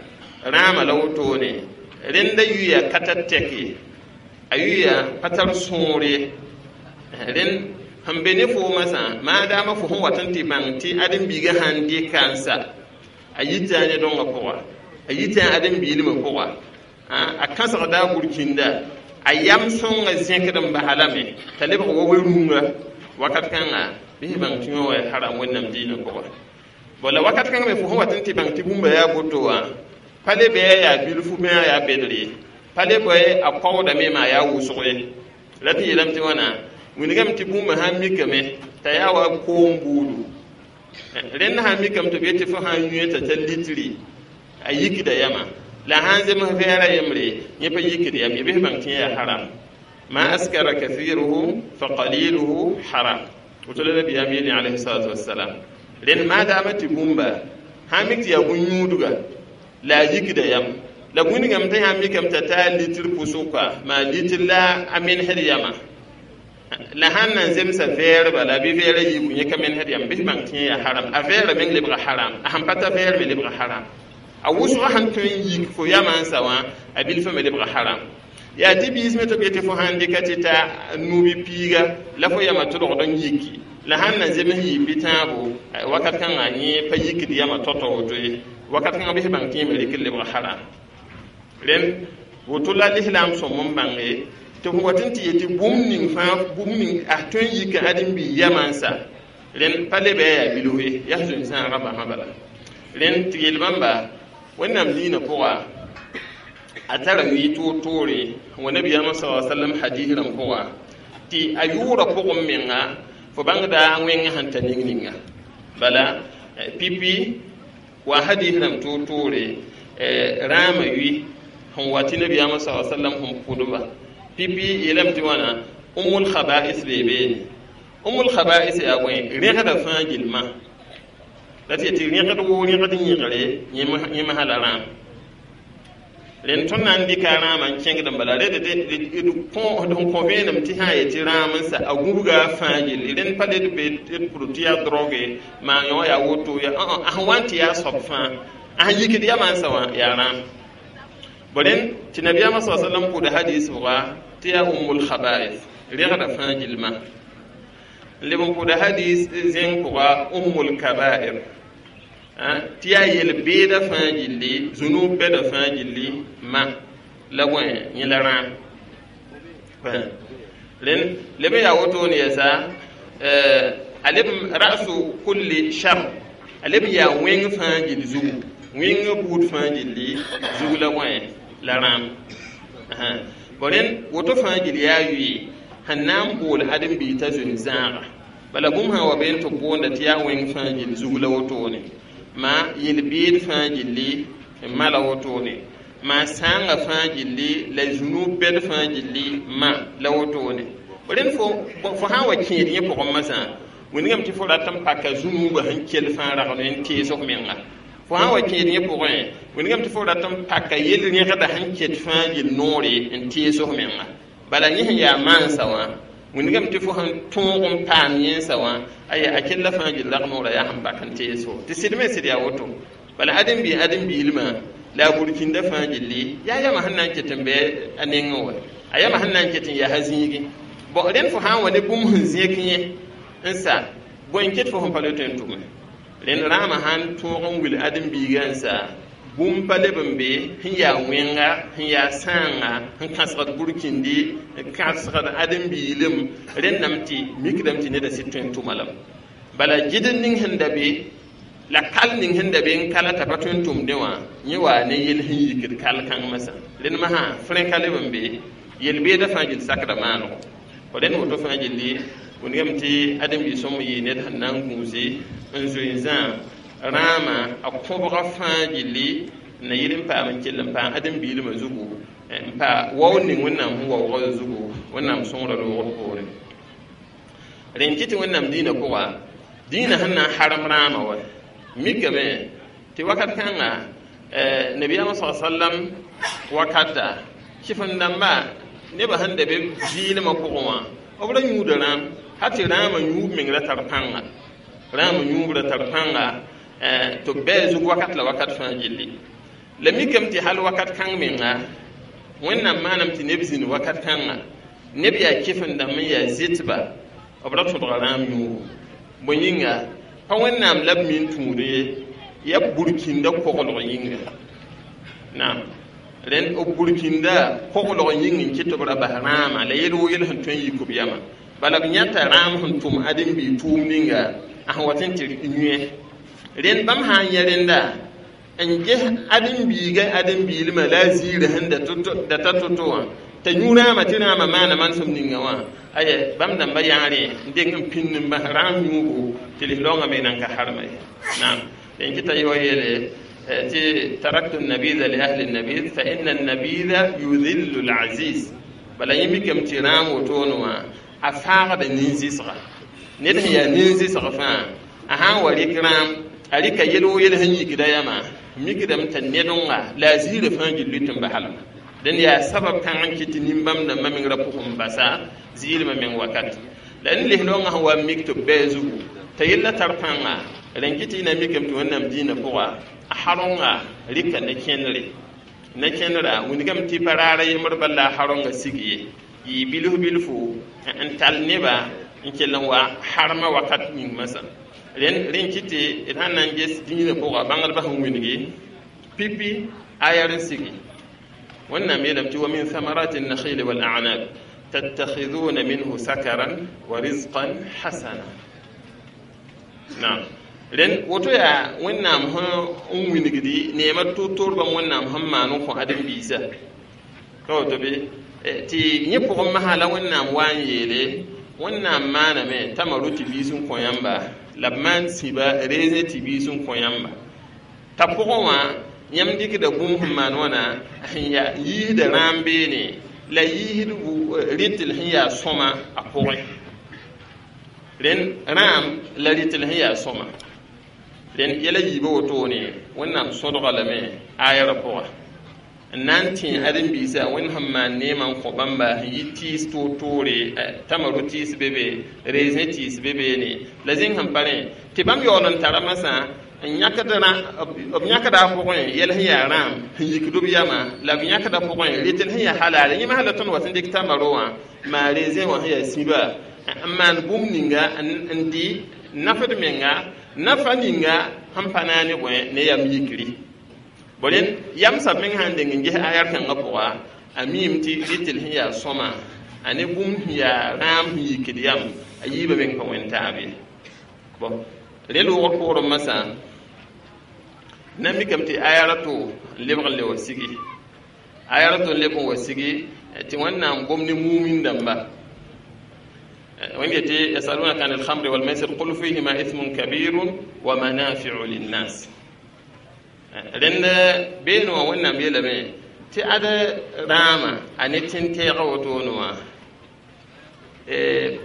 rãama la wotone, rẽnda yuya ka tar tɛk ye, a yuya pa tar sõor ye. Rẽnd sẽn be ne foomã sã, maadaama fo sẽn wat n tɩ bãng tɩ ãdem-biigã sãn dɩka n sa, a yita ne dõngã pʋga, a yita ãdem-biilmã pʋga, a kãsgda a burkĩnda, a yam sõngã zẽkd n basa lame t'a lebg wa we-rũnga, wakat kãnga bɩ sẽn bãng tɩ yõ wa haram Wẽnnaam diinã pʋga. Bon, la wakat kãngã me, fo sẽn wat n tɩ bãng tɩ bũmba yaa boto wã, pa le bɩ a yaa bilfu me, a yaa bedr ye, pa le bɩ a kaoodame me, a yaa wʋsg ye. La tɩ yeelame tɩ wãna, wilgame tɩ bũmba sã n mikame t'a yaa wa koom buudu. Rẽnd sã n mikame tɩ b yetɩ fo sã n yũ t'a tar litri, a yikda yama, la sã n zems vɛɛra yembre, yẽ pa yikd yam ye, bɩ bãng tɩ yẽ yaa haram. Ma askara kathiruhu fa qaliluhu haram, woto la nabiyaam yeele alayhi salatu wassalam. Rẽnd maadaama tɩ bũmba sã n mik tɩ yaa bũn-yũudga la a yikda yam, la wĩnigame tɩ sã n mikame t'a taa litr pʋsʋka, maa litr la a mensd yama, la sãn nan zemsa vɛɛrba la bɩ vɛɛra yiibu, yẽ ka mensd yam, bɩ bãng tɩ yẽ yaa haram. A vɛɛra meng lebga haram, a sẽn pa ta vɛɛr me lebga haram, a wʋsgã sẽn tõe n yik fo yamã n sa wã, a bilfã me lebga haram. Yaa tɩ biis me tɩ b yetɩ fo sãn dɩka tɩ ta nubi piiga la fo yama tʋlgd n yiki, la sãn na zems yɩ bɩ tãabo, wakat kãngã yẽ pa yikd yama tao-tao woto ye, wakat kãngã bɩ bãng tɩ yẽ me rɩk n lebg haram. Rẽnd woto la lislaam sõm n bãnge tɩ f wat n tɩ yetɩ bũmb ning fãa, bũmb ning a tõe n yik ãdem-biig yamã n sa, rẽnd pa leb a yaa bilf ye, yaa zoe-zãagã basã bala. Rẽnd tɩ yel bãmba, Wẽnnaam diinã pʋga a tara wi toor-toore wa nabiyaamã sa sallam hadis rãmb pʋga, tɩ a yʋʋra pʋgẽ menga fo bãngda wẽngã sẽn ta ning ninga bala pipi wa hadis rãmb toor-toore rãamã wi sẽn wa tɩ nabiyaamã sa sallam sẽn pʋdba pipi yeelame tɩ wãna umul khaba'is bee beene. Umul khaba'is yaa bõe? Rẽgda fãa gilma la tɩ yetɩ rẽgd woo rẽgd yẽgre yẽ masã la rãam. Rẽnd tõnd na n dɩka rãamã n kẽngd n bala red d kõ vẽenem tɩ sã n yetɩ rãam n sa a gũbga a fãa gilli, rẽnd pa le d be d pʋd tɩ yaa droge maa yõ yaa woto ya, a sẽn wa n tɩ yaa soab fãa, a sẽn yikd yamã n sa wã yaa rãam. Bo rẽnd tɩ nabiyaamã sa sallam pʋʋda hadis pʋga tɩ yaa ummul khaba'is, rẽgda fãa gilma. N leb n pʋʋda hadis zẽng pʋga ummul kaba'ir, tɩ yaa yel-beeda fãa gilli, zũnub bɛda fãa gilli ma la bõe yẽ la rãam. Rẽnd leb n yaa wotone yɛsa, a leb rasu kulli shar, a leb n yaa wẽng fãa gill zugu, wẽngã buud fãa gilli zug la bõe la rãam. Bon, rẽnd woto fãa gill yaa yʋɩ sẽn na n bool ãdem-biig t'a zoe zãaga. Bala bũmb sã wa been tɩ b boonda tɩ yaa wẽng fãa gill zug la wotone, ma yel-beed fãa gilli ma la wotone, ma sãangã fãa gilli la zũnub bɛd fãa gilli ma la wotone. Rẽnd fo fo sã n wa kẽed yẽ pʋgẽ masã, wĩndgame tɩ fo rat n paka zũnubã sẽn kell fãa ragd n tees f menga. Fo sã n wa kẽed yẽ pʋgẽ, wĩndgame tɩ fo rat n paka yel-rẽgda sẽn ket fãa gill noore n tees f menga. Bala yẽ sẽn yaa maansa wã, wĩndgame tɩ fo sẽn tõog n paam yẽnsa wã, aya a kella fãa gill rag noorã yaa sẽn bak n teeso tɩ sɩd me sɩd yaa woto. Bala ãdem-biig ãdem-biilmã la a burkĩnda fãa gilli yaa yama sẽn na n ket n bɩ a nengẽ wa, a yama sẽn na n ket n yaa zĩigi. Bon, rẽnd fo sã n wa ne bũmb sẽn zẽk yẽ n sa, bõe n ket fo sẽn pa le tõe n tʋme. Rẽnd rãamã sãn tõog n wil ãdem-biigã n sa, bũmb pa leb n be sẽn yaa wẽnga, sẽn yaa sãanga, sẽn kãsgd burkĩndi, n kãsgd ãdem-biilem, rẽndame tɩ mikdame tɩ neda sɩd tõe n tʋma lame. Bala gɩd ning sẽn da be la kal ning sẽn da be n kala t'a pa tõe n tʋmdẽ wã, yẽ waa ne yel sẽn yikd kal kãng masã. Rẽnd masã frẽ ka leb n be yel-beedã fãa gill sakda maanego. Rẽnd woto fãa gilli wĩndgame tɩ ãdem-biig sõm yɩ ned sẽn na n gũusi n zoe n zãag rãamã a kõbga fãa gilli n na yɩl n paam n kell n paam ãdem-biilmã zugu n pa waoog ning Wẽnnaam sẽn waoogã zugu Wẽnnaam sõngrã roogd poorẽ rẽn kɩ tɩ Wẽnnaam dĩinã pʋga dĩinã sẽn na n harem rãamã wa mikame tɩ wakat kãnga nabiyaamã sa sallam wakata kɩf-n-dãmba nebã sẽn da be zɩɩlmã pʋgẽ wã b ra yũuda rãam hal tɩ rãamã yũub meng ra tar pãnga rãamã yũub ra tar pãnga tɩ b bɛɛ zug wakat la wakat fãa gilli la mikame tɩ hal wakat kãng menga Wẽnnaam maanam tɩ neb zĩnd wakat kãnga neb yaa kɩf-n-dãmb n yaa zɩtba b ra tõdga rãam yũubu bõe yĩnga pa Wẽnnaam la b min tũud ye yaa burkĩnda koglg yĩnga naam rẽnd b burkĩnda koglg yĩng n kɩt tɩ b ra bas rãamã la yel wo yel sẽn tõe n yik b yamã bala b yãta rãam sẽn tʋm ãdem-biig tʋʋm ninga a sẽn wat n tɩ yẽ rẽnd bãmb sã n yẽ rẽnda n ges ãdem-biigã ãdem-biilmã la a ziirã sẽn da ta to-to wã t'a yũ rãamã tɩ rãamã maana manesem ninga wã aya bãmb dãmba yaa rẽ n deng n pĩnd n bas rãam yũubu tɩ lislaoongã me nan ka harma ye naam rẽn kɩta yɩ wa yeele tɩ taraktu nabida li ahli nabid fa inna nabida yudhillu al-aziz bala yẽ mikame tɩ rãam wotone wã a faagda nin-zɩsga ned sẽn yaa nin-zɩsg fãa a sã n wa rɩk rãam a rɩka yel wo yel sẽn yikda yamã mikdame t'a nedonga la a ziirã fãa gilli tɩ n basalma dẽnd yaa sabab kãng n kɩt tɩ nin-bãmb dãmbã meng ra pʋgẽ n basa ziilmã meng wakat la n lislaoongã sẽn wa n mik tɩ b bɛɛ zugu t'a yella tar pãnga rẽn kɩ tɩ y na mikame tɩ Wẽnnaam dĩinã pʋga a haronga rɩka ne kẽnere ne kẽnera wingame tɩ pa raara yembr bal la a haronga sig ye yɩ bilf bilfu n tall neba n kell n wa harmã wakat ning masã rẽn rẽn kɩ tɩ d sãn na n ges dĩinã pʋga bãngdbã sẽn wilgi pipi ayar n sigi Wẽnnaam yeelame tɩ wa min thamarati النخيل والأعناب تتخذون منه سكرا ورزقا حسنا naam rẽnd woto yaa Wẽnnaam sẽn n wilgdi neemã to-toor bãmb Wẽnnaam sẽn maan n kõ ãdem-biisã ka woto bɩ tɩ yẽ pʋgẽ masã la Wẽnnaam wa n yeele Wẽnnaam maaname t'a maro tɩ biis n kõ yãmba la b maan sĩba reezẽ tɩ biis n kõ yãmba t'a pʋgẽ wã yãmb dɩkda bũmb sẽn maan wãna sẽn yaa yiisda rãam beene la yiisd rɩtl sẽn yaa sõma a pʋgẽ rẽnd rãam la rɩtl sẽn yaa sõma rẽnd yɛla yiibã wotone Wẽnnaam sõdga lame ayarã pʋga n na n tẽ ãdem-biisã Wẽnd sẽn maan neemã n kõ bãmba sẽn yɩ tɩɩs toor-toore tamaro tɩɩs be be reezẽ tɩɩs be beene la zĩng sẽn pa rẽ tɩ bãmb yaool n tara masã n yãkd b yãkda a pʋgẽ yɛl sẽn yaa rãam sẽn yikd b yamã la b yãkda pʋgẽ rɩtl sẽn yaa halaale yẽ masã la tõnd wat n dɩk tamaro wã maa reezẽ wã sẽn yaa sĩba n maan bũmb ninga n dɩ nafd menga nafa ninga sẽn pa naane bõe ne yam yikri bõ rẽnd yam sab meng sã n deng n ges ayar kãngã pʋga a miime tɩ rɩtl sẽn yaa sõma a ne bũmb sẽn yaa rãam sẽn yikd yam a yiibã meng pa wẽn taab ye bõn rẽ loogr poorẽ masã na mikame tɩ ayara to n lebg n le wa sigi ayara to n leb n wa sigi tɩ Wẽnnaam gom ne mumin dãmba wẽnd yetɩ yasalunaka an alkhamri walmaisir qul fihima ithmun kabirun wa manafiu linnas rẽnd beene wã Wẽnnaam yeelame tɩ ad rãamã a ne tẽn-tɛɛgã wotone wã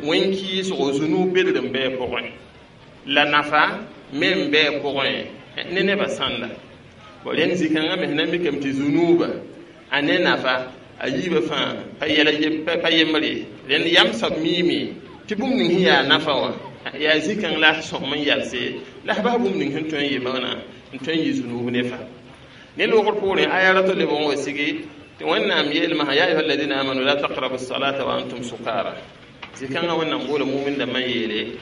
wẽn-kɩɩsgo zunub bedg n bɩ pʋgẽ la nafa me n bɩ pʋgẽ ne nebã sãnda bõ rẽnd zĩ-kãngã me sẽn na n mikame tɩ zunuuba a ne nafa a yiibã fãa pa yɛl pa yembre rẽnd yam soab miime tɩ bũmb ning sẽn yaa nafa wã yaa zĩ-kãng la sõm n yalse la s bas bũmb ning sẽn tõe n yɩ maana n tõe n yɩ zunuub ne fa ne loogr poorẽ aya ra to leb n wa sigi tɩ Wẽnnaam yeelmã ya ayuha alladina amanu la taqrabu salata wa antum sukara zĩ-kãngã Wẽnnaam boola mumin dãmbã n yeele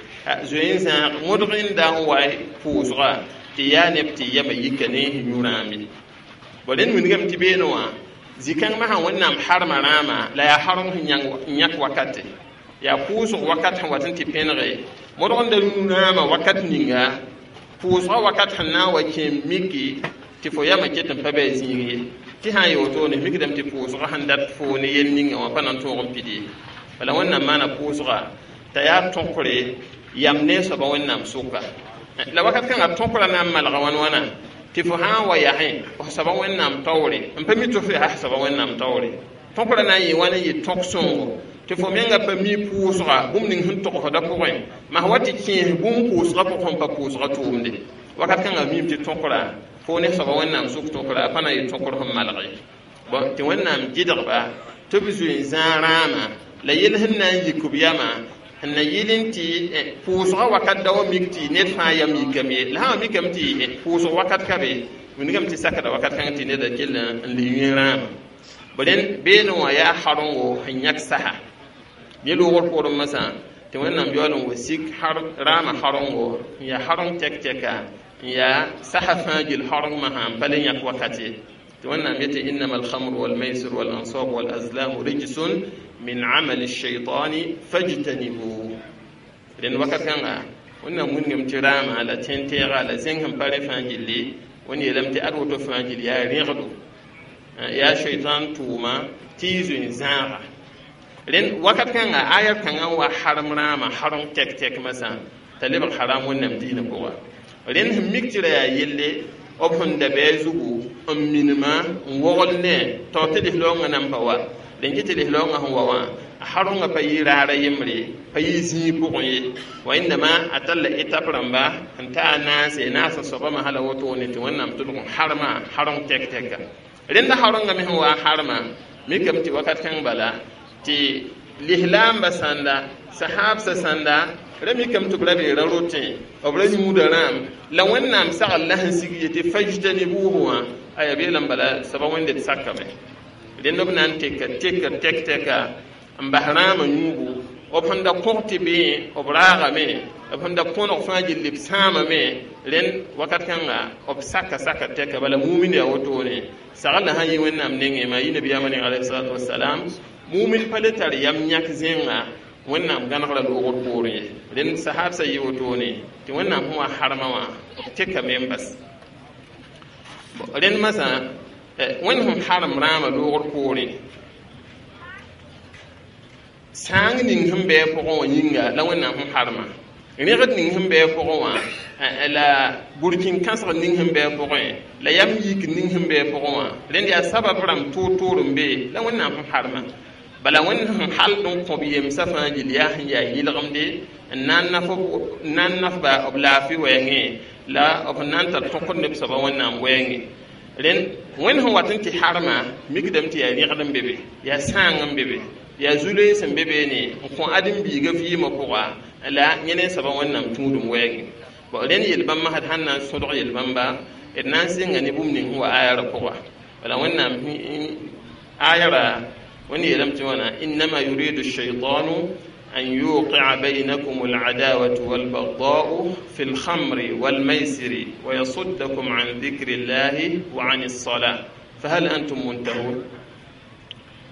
zoe n zãag modg n da n wa pʋʋsga tɩ yaa neb tɩ yama yika ne yũ rãam ye bõ rẽnd wingame tɩ beene wã zĩ-kãng masã Wẽnnaam harma rãamã la yaa harem sẽn yãk wakate yaa pʋʋsg wakat sẽn wat n tɩ pẽnege modg n da yũ rãamã wakat ninga pʋʋsgã wakat sẽn na n wa kẽ miki tɩ fo yamã ket n pa bɩ a zĩig ye tɩ sã n yaa wotone mikdame tɩ pʋʋsgã sẽn dat fo ne yel ninga wã pa na n tõog n pid ye bala Wẽnnaam maana pʋʋsga t'a yaa tõkre yam ne soaba Wẽnnaam sʋka La wakat kãngã tõkra na n malga wãn wãna tɩ fo sã n wa yasẽ f soaba Wẽnnaam taoore n pa mi tɩ f yaa soaba Wẽnnaam taoore tõkra na n yɩ wãn n yɩ tõk sõngo tɩ fo menga pa mi pʋʋsga bũmb ning sẽn togsda pʋgẽ mas wa tɩ kẽes bũmb pʋʋsgã pʋgẽ sẽn pa pʋʋsgã tʋʋmde wakat kãngã miime tɩ tõkra fo ne soaba Wẽnnaam sʋk tõkra a pa na n yɩ tõkr sẽn malg ye bõn tɩ Wẽnnaam gɩdgba tɩ b zoe n zãag rãamã la yell sẽn na n yik b yamã sẽn na yɩl n tɩ pʋʋsgã wakat da wa mik tɩ ned fãa yam yikame ye la sã wa mikame tɩ pʋʋsg wakat ka be wilgame tɩ sakda wakat kãng tɩ neda kell n le yẽ rãamã rẽnd beene wã yaa harengo sẽn yãk saha yẽ loogr poorẽ masã tɩ Wẽnnaam yaool n wa sik rãamã harengo n yaa hareng tɛk-tɛka n yaa saha fãa gill harengmã sã n pa le yãk wakat ye tɩ Wẽnnaam yetɩ innama alhamru walmaisir walansab walazlamu rijsun min amali shaitani fajtanibu rẽnd wakat kãnga Wẽnnaam wilgame tɩ rãamã la tẽn-tɛɛga la zẽng sẽn pa rẽ fãa gilli wẽnd yeelame tɩ ad woto fãa gill yaa rẽgdo yaa shaitan tʋʋma tɩ y zoe n zãaga rẽnd wakat kãnga ayat kãngã n wa harem rãamã hareng tɛk-tɛk masã t'a lebg haram Wẽnnaam diinã pʋga rẽnd sẽn mik tɩ ra yaa yelle b sẽn da bɩ a zugu n minima n wogl ne tao tɩ lislaoongã nan pa wa rẽn kɩ tɩ lislaoongã sẽn wa wã a harengã pa yɩ raara yembre pa yɩ zĩig pʋgẽ ye wa wẽnnamã a talla étape rãmba n ta a naase naasã soabã hala wotone tɩ Wẽnnaam tʋlg n harma hareng tɛk-tɛka rẽnda harengã me sẽn wa n harma mikame tɩ wakat kãng bala tɩ lislaamba sãnda sahaabsã sãnda ra mikame tɩ b ra bee ra rotẽ b ra yũuda rãam la Wẽnnaam sagl la sẽn sig yetɩ fajtanibuhu wã aya beelame bala soaba wẽnde d sakame rẽnd b na n teka tekr tɛk-tɛka n bas rãamã yũubu b sẽn da kõg tɩ bee b raagame b sẽn da kõneg fãa gilli b sãamame rẽnd wakat kãnga b saka saka tɛka bala mumin yaa wotone sagl sã n yi Wẽnnaam nengẽ maa yi nabiyaamã neng alayhi salatu wasalam mumin pa le tar yam yãk zẽnga Wẽnnaam gãnegra loogr poorẽ ye rẽnd sahabsã yɩ wotone tɩ Wẽnnaam sẽn wa harmã wã b tekame n bas rẽnd masã Wẽnd sẽn harem rãamã loogr poorẽ sãang ning sẽn bɩ a pʋgẽ wã yĩnga la Wẽnnaam sẽn harma rẽgd ning sẽn bɩ a pʋgẽ wã la burkĩn-kãsg ning sẽn bɩ a pʋgẽ la yam yik ning sẽn bɩ a pʋgẽ wã rẽnd yaa sabab rãmb toor-toor n be la Wẽnnaam sẽn harma bala Wẽnd sẽn hald n kõ b yemsã fãa gill yaa sẽn yaa yɩlgemde n na n nafba b laafɩ wɛɛngẽ la b sẽn na n tar tõkd ne b soaba Wẽnnaam wɛɛngẽ rẽnd Wẽnd sẽn wat n tɩ harma mikdame tɩ yaa rẽgd n be be yaa sãang n be be yaa zu-loeens n be beene n kõ ãdem-biigã vɩɩmã pʋga la yẽ ne soaba Wẽnnaam tũudum wɛɛngẽ bon rẽnd yel-bãmbã sd sãn na n sõdg yel-bãmba d na n sɩnga ne bũmb ning sẽn wa ayara pʋga bala Wẽnnaam ayara wẽnd yeelame tɩ wãna innama yuridu shaitanu an yuqia baynakum al'adawatu walbagda'u fi lkhamri walmaisiri wa yasuddakum an dhikri llahi wa an alsalah fahal antum muntahun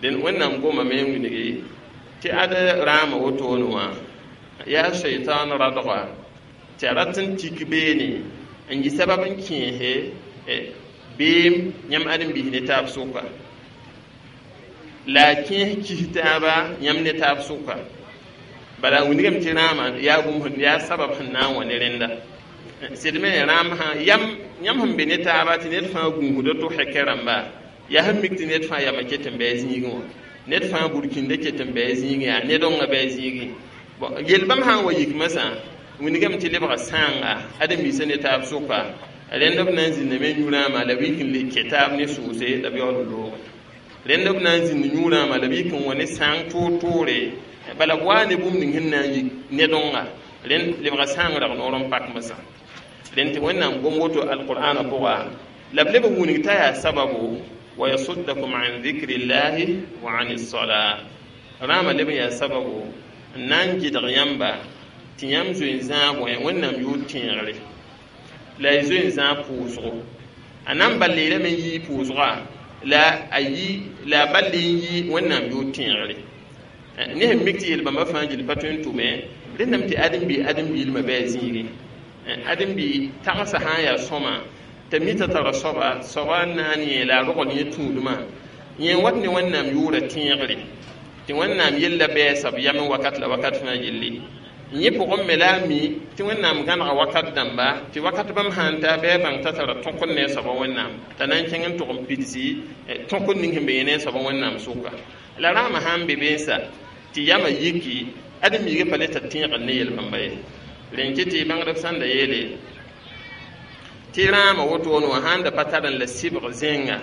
dẽn Wẽnnaam gomame n wilgi tɩ ad rãamã wotone wã yaa shaitan radga tɩ a rat n tik beene n yɩ sabab n kẽese beem yãmb ãdem-biis ne taab sʋka la a kẽes kis taaba yãmb ne taab sʋka bala wilgame tɩ rãamã yaa bũmb yaa sabab sẽn na n wa ne rẽnda sɩd me rãam sã yam yãmb sẽn be ne taaba tɩ ned fãa gũusda to hɛkɛ rãmba yaa sẽn mik tɩ ned fãa yamã ket n bɩ a zĩigẽ wã ned fãa burkĩnda ket n bɩ a zĩigẽ yaa ned õngã bɩ a zĩigẽ bon yel-bãmb sã n wa yik masã wilgame tɩ lebga sãanga ãdem-biisã ne taab sʋka rẽnd b na n zĩndame yũ rãamã la b yik n le kɛ taab ne sʋʋse la b yaool n looge rẽnd b na n zĩnd yũ rãamã la b yik n wa ne sãang toor-toore bala b waa ne bũmb ning sẽn na n yik ned õnga rẽnd lebga sãang rag noor n pak masã rẽnd tɩ Wẽnnaam gom woto alqur'ana pʋga la b leb n wilg t'a yaa sababu wa yasuddakum an dhikri llahi wa an alsalah rãamã leb n yaa sababu n na n gɩdg yãmba tɩ yãmb zoe n zãag wẽ Wẽnnaam yʋʋr tẽegre la y zoe n zãag pʋʋsgo a na n bal leelame n yii pʋʋsga la a yi la a bal n yi Wẽnnaam yʋʋr tẽegre ne sẽn mik tɩ yel-bãmba fãa gill pa tõe n tʋme rẽndame tɩ ãdem-bi ãdem-biilmã bɩ a zĩigẽ ãdem-bi tagsã sã n yaa sõma t'a mi t'a tara soaba soaba n na n yẽ la a rogl yẽ tũudmã yẽ wat ne Wẽnnaam yʋʋra tẽegre tɩ Wẽnnaam yella bɛɛsa b yamẽ wakat la wakat fãa gilli Yẽ pʋgẽ me la a mi tɩ Wẽnnaam gãnega wakat dãmba tɩ wakat bãmb sã n ta bɩ a bãng t'a tara tõk n ne a soaba Wẽnnaam t'a na n kẽng n tʋg n pidsi tõk ning sẽn be yẽ ne a soaba Wẽnnaam sʋka. La rãamã sã n be beensa tɩ yamã yiki ãdem-biigã pa le t'a tẽegr ne yel-bãmba ye. Rẽn kɩ tɩ bãngdb sãn da yeele tɩ rãamã wotone wã sãn da pa tar n la sɩbg zẽnga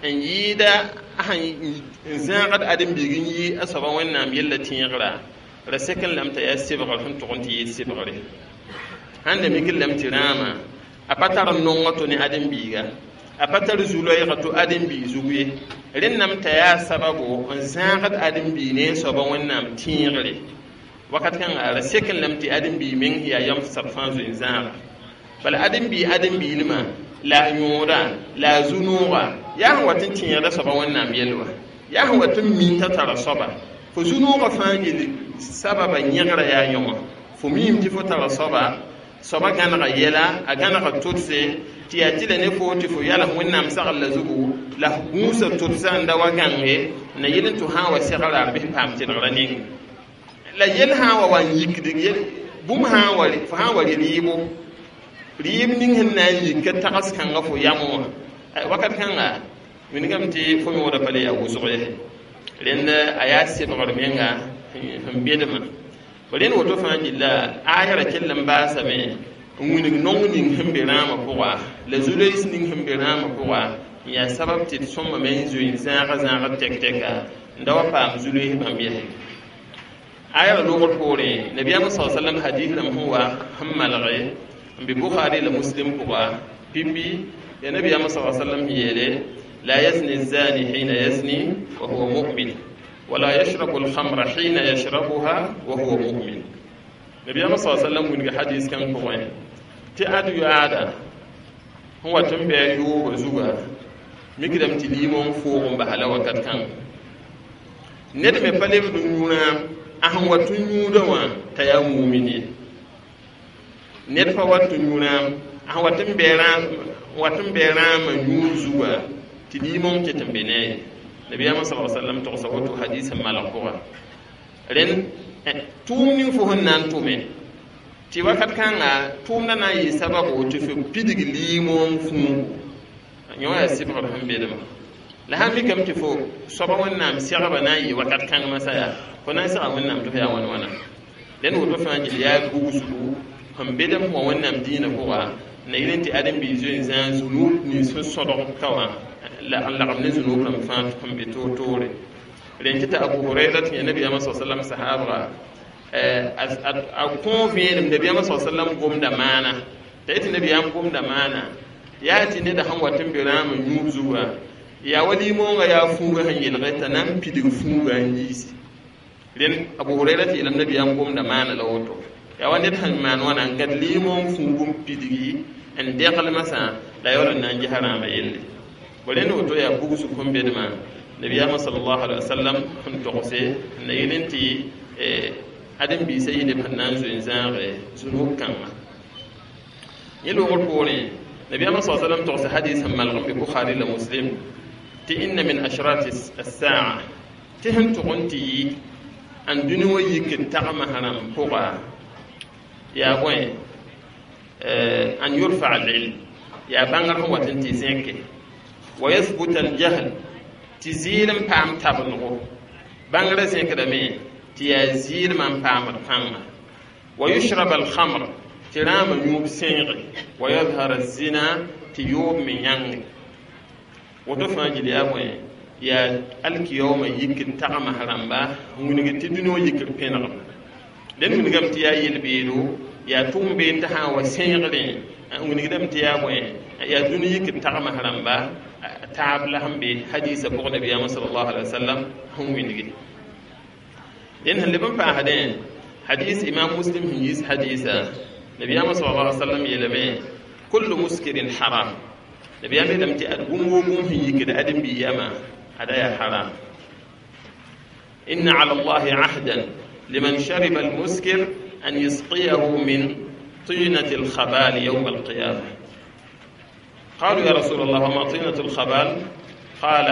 n yɩɩda n zãagd ãdem-biig n yi a soaba Wẽnnaam yella tẽegra ra sek n lame t'a yaa sɩbgr sẽn tʋg n tɩ yɩɩd sɩbgre. Sãn da mik n lame tɩ rãamã a pa tar n nonga to ne ãdem-biiga, a pa tar zu-loɛɛga to ãdem-biig zug ye. Rẽndame t'a yaa sababo n zãagd ãdem-biig ne a soaba Wẽnnaam tẽegre. Wakat kãnga ra sek n lame tɩ ãdem-biig meng yaa yam sab fãa zoe n zãaga. Bala ãdem-biig ãdem-biilmã la a yõoda la a zu-nooga yaa sẽn wat n tẽegda soaba Wẽnnaam yell wã, yaa sẽn wat n mi t'a tara soaba. Fo zu-noogã fãa yel sababa yẽgra yaa yõwã. Fo miime tɩ fo tara soaba, soaba gãnega yɛla, a gãnega tʋdse tɩ yaa tɩ la ne fo tɩ fo yals Wẽnnaam sagl la zugu la f gũusa tʋdsa n da wa gãnge na yel n tɩ sã n wa segra a bɩs paam tɩdgrã ning. La yel sã n wa wa n yikd yel bũmb sã n wa fo sã n wa rɩ rɩɩbo, rɩɩb ning sẽn na n yik ka tags kãnga fo yamẽ wã wakat kãnga wilgame tɩ fo yõoda pa le yaa wʋsg ye. Rẽnd a yaa sɩbgr menga sẽn bedmã. Rẽnd woto fãa gilla ayra kell n baasame n wilg nong ning sẽn be rãamã pʋga la zu-loees ning sẽn be rãamã pʋga n yaa sabab tɩ d sõmame n zoe n zãaga zãagd tɛk-tɛka n da wa paam zu-loees bãmb yɛsɛ. Ayra loogr poorẽ nabiyaamã sa sallam hadis rãmb sẽn wa sẽn malge n be Bukhari la Muslim pʋga pipi ya nabiyaamã sa sallam yeele: la yazni الزاني حين يزني وهو مؤمن ولا يشرب الخمر حين يشربها وهو مؤمن. Nabiyaamã sa sallam wilg hadis kãng pʋgẽ tɩ ad yoaada sẽn wat n bɩ a yoobã zuga mikdame tɩ liimõ n foog n basa la wakat kãng. Ned me pa lebd n yũ rãam a sẽn wat n yũudã wã t'a yaa mumin ye. Ned pa wat n yũ rãam a sẽn wat n bɩ rãam wat n bɩ rãamã yũud zuga tɩ liimõ ket n be ne a ye. Nabiyaamã sa sallam togsa woto hadis sẽn malg pʋga. Rẽnd tʋʋm ning fo sẽn na n tʋme tɩ wakat kãnga tʋʋmdã na n yɩ sababo tɩ fo pidg liimõ n fũugu yõ yaa sɩbgr sẽn bedmã. La sãn mikame tɩ fo soaba Wẽnnaam segbã na n yɩ wakat kãng masã yaa fo na n segã Wẽnnaam tɩ fo yaa wãn wãna. Rẽnd woto fãa gil yaa bugsgu sẽn bedem wã Wẽnnaam dĩinã pʋga na yel n tɩ ãdem-biig zoe n zãag zunub nins sẽn sõdg ka wã la n lagem ne zunub rãmb fãa sẽn be toor-toore. Rẽn kɩ t'a Abu Hurayra tɩ yã nabiyaamã sa sallam sahaabga a kõ vẽenem nabiyaamã sa sallam gomda maana t'a yetɩ nabiyaam gomda maana yaa tɩ neda sẽn wat n be rãamã yũub zuga yaa wa liimoongã yaa fuugã sẽn yelge t'a na n pidg fuugã n yiisi. Rẽnd Abu Hurayra tɩ yeelame nabiyaam gomda maana la woto yaa wa ned sẽn maan wãna n gad liimoong fuug n pidgi n degl masã la yaool n na n gesa rãamã yelle. Rẽnd woto yaa bugsg sẽn bedmã nabiyaamã sallallahu alaihi wasallam sẽn togse n na yel n tɩ ãdem-biisã yɩ neb sẽn na n zoe n zãage zunub kãngã. Yẽ loogr poorẽ nabiyaamã sa sallam togsa hadis sẽn malg n be Bukhari la Muslim tɩ inna min ashrati as-saa tɩ sẽn tʋg n tɩ yɩ n dũni wã yik n tagmã rãmb pʋga yaa bõe an yurfa al-ilm yaa bãngr sẽn wat n tɩ zẽke wa yathbuta al-jahl tɩ zɩɩl n paam tabendgo bãngrã zẽkdame tɩ yaa zɩɩlmã n paamd kãnga wa yushrab al-khamr tɩ rãamã yũub sẽege wa yadhar az-zina tɩ yoob me yãnge. Woto fãa gil yaa bõe yaa alkiyaoomã yik n tagmã rãmba n wilg tɩ dũni wã yikr pẽnegem. Rẽnd wilgame tɩ yaa yel-beedo yaa tʋʋm been t'a sã n wa sẽegrẽ n wilgdame tɩ yaa bõe yaa dũni yik n tagmã rãmba taab la sẽn be hadisã pʋg nabiyaamã sallallahu alaihi wasallam sẽn wilgi. Rẽnd sẽn leb n paasdẽ hadis imam Muslim sẽn yiis hadisa nabiyaamã sallallahu alaihi wasallam yeelame kullu muskirin haram. Nabiyaam yeelame tɩ ad bũmb woo bũmb sẽn yikd ãdem-biig yamã ada yaa haram. Inna ala allahi ahdan liman shariba almuskir an yusqiyahu min tinati alkhabal yawm alqiyama. قالوا يا رسول الله وما طينة الخبال؟ قال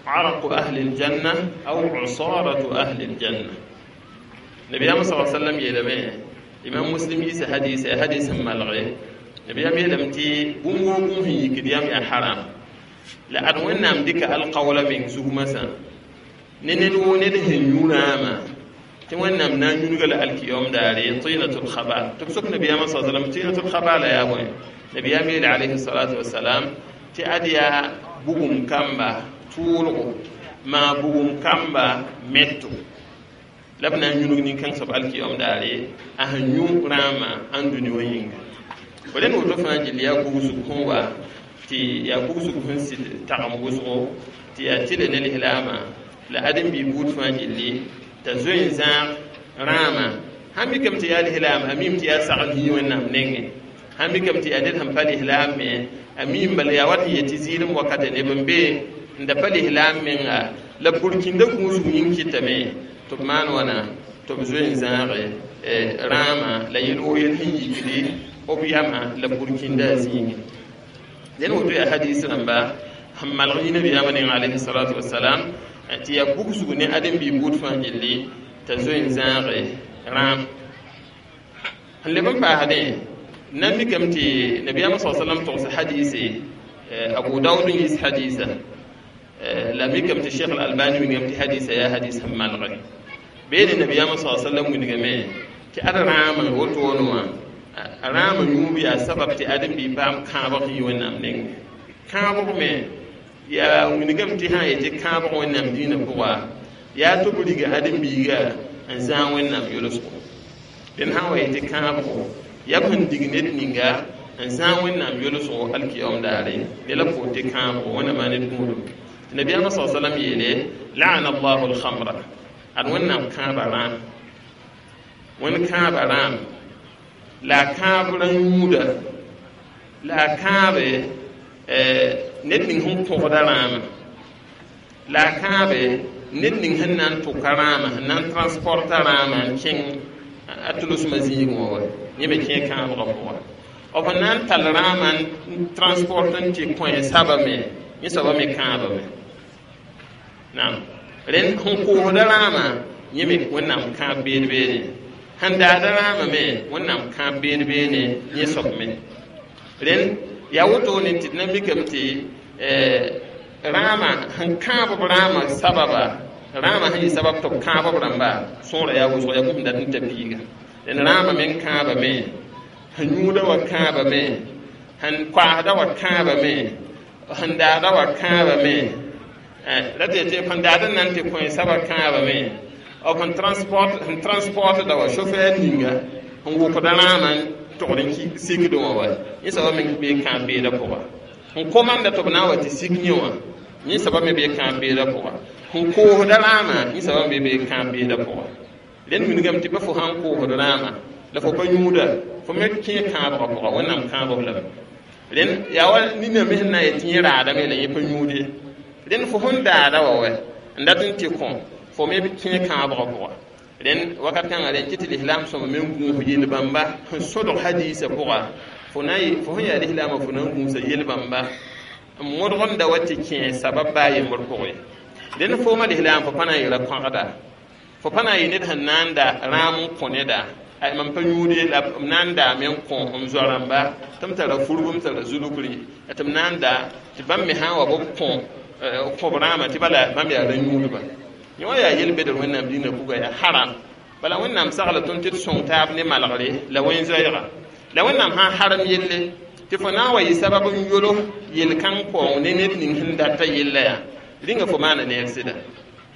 عرق أهل الجنة أو عصارة أهل الجنة. Nabiyaam sa sallam yeelame imam muslim yiisa hadisa ya hadis sẽn malge nabiyaam yeelame tɩ bũmb woo bũmb sẽn yikd yam yaa haram la ad wẽnnaam dɩka alkaoola meng zugmasã ne ned woo ned sẽn yũ rãamã tɩ wẽnnaam na n yũnga la alkiyom daare tinatul khabal tɩ b sok nabiyaamã sa sallam tinatul khabala yaa bõe nabiyaam yeele alayhi salatu wasalam tɩ ad yaa bugum kamba tʋʋlgo maa bugum kamba meto la b na n yũnug nin-kãng soab alkiyom daare a sẽn yũ rãamã ãn dũni wã yĩnga fo rẽnd woto fãa gill yaa bugsg sẽn wa tɩ yaa bugsg sẽn sɩd tagem wʋsgo tɩ yaa tɩle ne lislaamã la ãdem-bi buud fãa gilli t'a zoe n zãag rãamã sãn mikame tɩ yaa lislaam a miime tɩ yaa sagl yĩ wẽnnaam nengẽ sãn mikame tɩ yaa ned sẽn pa lislaam me a miim bala yaa wat n yet tɩ zɩɩlem wakate neb n be n da pa lislaam menga la burkĩndã gũusg yĩng kɩtame tɩ b maan wãna tɩ b zoe n zãage rãamã la yel woo yel sẽn yikdi b yamã la burkĩndã a zĩigẽ dẽn woto yaa hadis rãmba sẽn malg yĩ nabiyaamã neng alayhi salatu wasalam tɩ yaa bugsg ne ãdem-bi buud fãa gilli t'a zoe n zãage rãam sẽn leb n paasdẽ na n mikame tɩ nabiyaamã sa salam togs hadise abu daood n yiis hadisa la mikame tɩ cheikh albani wingame tɩ hadisa yaa hadis sẽn malge beene nabiyaamã sa sallam wingame tɩ ad rãamã wotone wã rãamã yũub yaa sabab tɩ ãdem-bi paam kãabg yĩ wẽnnaam nengẽ kãabg me yaa wingame tɩ sã n yetɩ kãabg wẽnnaam dĩinã pʋga yaa tɩ b riga ãdem-biiga n zãag wẽnnaam yolsgo dẽn sã n wa yetɩ kãabgo yaa b sẽn dig ned ninga n zãag wẽnnaam yolsgo alkiyom daare ne la pʋʋr tɩ kãabgo wẽnnaam ned gũudum tɩ nabiyaamã sa salam yeele laana allahu alkhamra ad wẽnnaam kãaba rãam wẽnd kãaba rãam la a kãab rã yũuda la a kãabe ned ning sẽn põgda rãamã la a kãabe ned ning sẽn na n tʋka rãamã sẽn na n transporta rãamã n kẽng a tʋlsmã zĩigẽ wã wa yẽ me kẽ kãabgã pʋga b sẽn na n tall rãamã n transport n tɩ kõ saba me yẽ soaba me kãabame naam rẽnd sẽn koosda rãamã yẽ me wẽnnaam kãab beed beene sẽn daada rãamã me wẽnnaam kãab beed beene yẽ soab me rẽnd yaa wotone tɩ d na mikame tɩ rãamã sẽn kãab b rãamã sababa rãamã sẽn yɩ sabab tɩ b kãab b rãmba sõora yaa wʋsg yaa bũmb dat n ta piiga rẽnd rãamã meng kãabame sẽn yũuda wa kãabame sẽn koasda wa kãabame sẽn daada wa kãabame la tɩ tɩ sẽn daad n na n tɩ kõ saba kãabame b sẽn transport sẽn transportda wa chauffeur ninga sẽn wʋkda rãamã n togd n sikdẽ wã wa yẽ soaba me bee kãab beedã pʋga sẽn komanda tɩ b na n wa tɩ sik yẽ wã yẽ soaba me bee kãab beedã pʋga sẽn koosda rãamã yẽ soaba me bee kãab beedã pʋga rẽnd wilgame tɩ pa fo sãn koosd rãamã la fo pa yũuda fo me kẽ kãabgã pʋga wẽnnaam kãabg lame rẽnd yaa wa nina me sẽn na n yet tɩ yẽ raadame la yẽ pa yũud ye rẽnd fo sẽn daada wa wɛ n dat n tɩ kõ fo me kẽ kãabgã pʋga rẽnd wakat kãngã rẽnd kɩ tɩ lislaam sõma me n gũus yel-bãmba sẽn sõdg hadiisã pʋga fo na fo sẽn yaa lislaamã fo na n gũusa yel-bãmba n modg n da wa tɩ kẽ sabab baa yembr pʋgẽ rẽnd fooma lislaam fo pa na n yɩra kõgda fo pa na n yɩ ned sẽn na n da rãam n kõ neda mam pa yũud la m na n daame n kõ m zoa-rãmba tɩ m tara furb m tara zulugri tɩ m na n da tɩ bãmb me sã n wa b kõ kõb rãamã tɩ bala bãmb yaa rã-yũudba yẽ wã yaa yel-bedr wẽnnaam dĩinã puga yaa haram bala wẽnnaam sagla tõnd tɩ d sõng taab ne malgre la wẽn-zoɛɛga la wẽnnaam sã n harem yelle tɩ fo na n wa yɩ sabab n yolo yel-kãng paoong ne ned ning sẽn data yella yaa rĩnga fo maana neer sɩda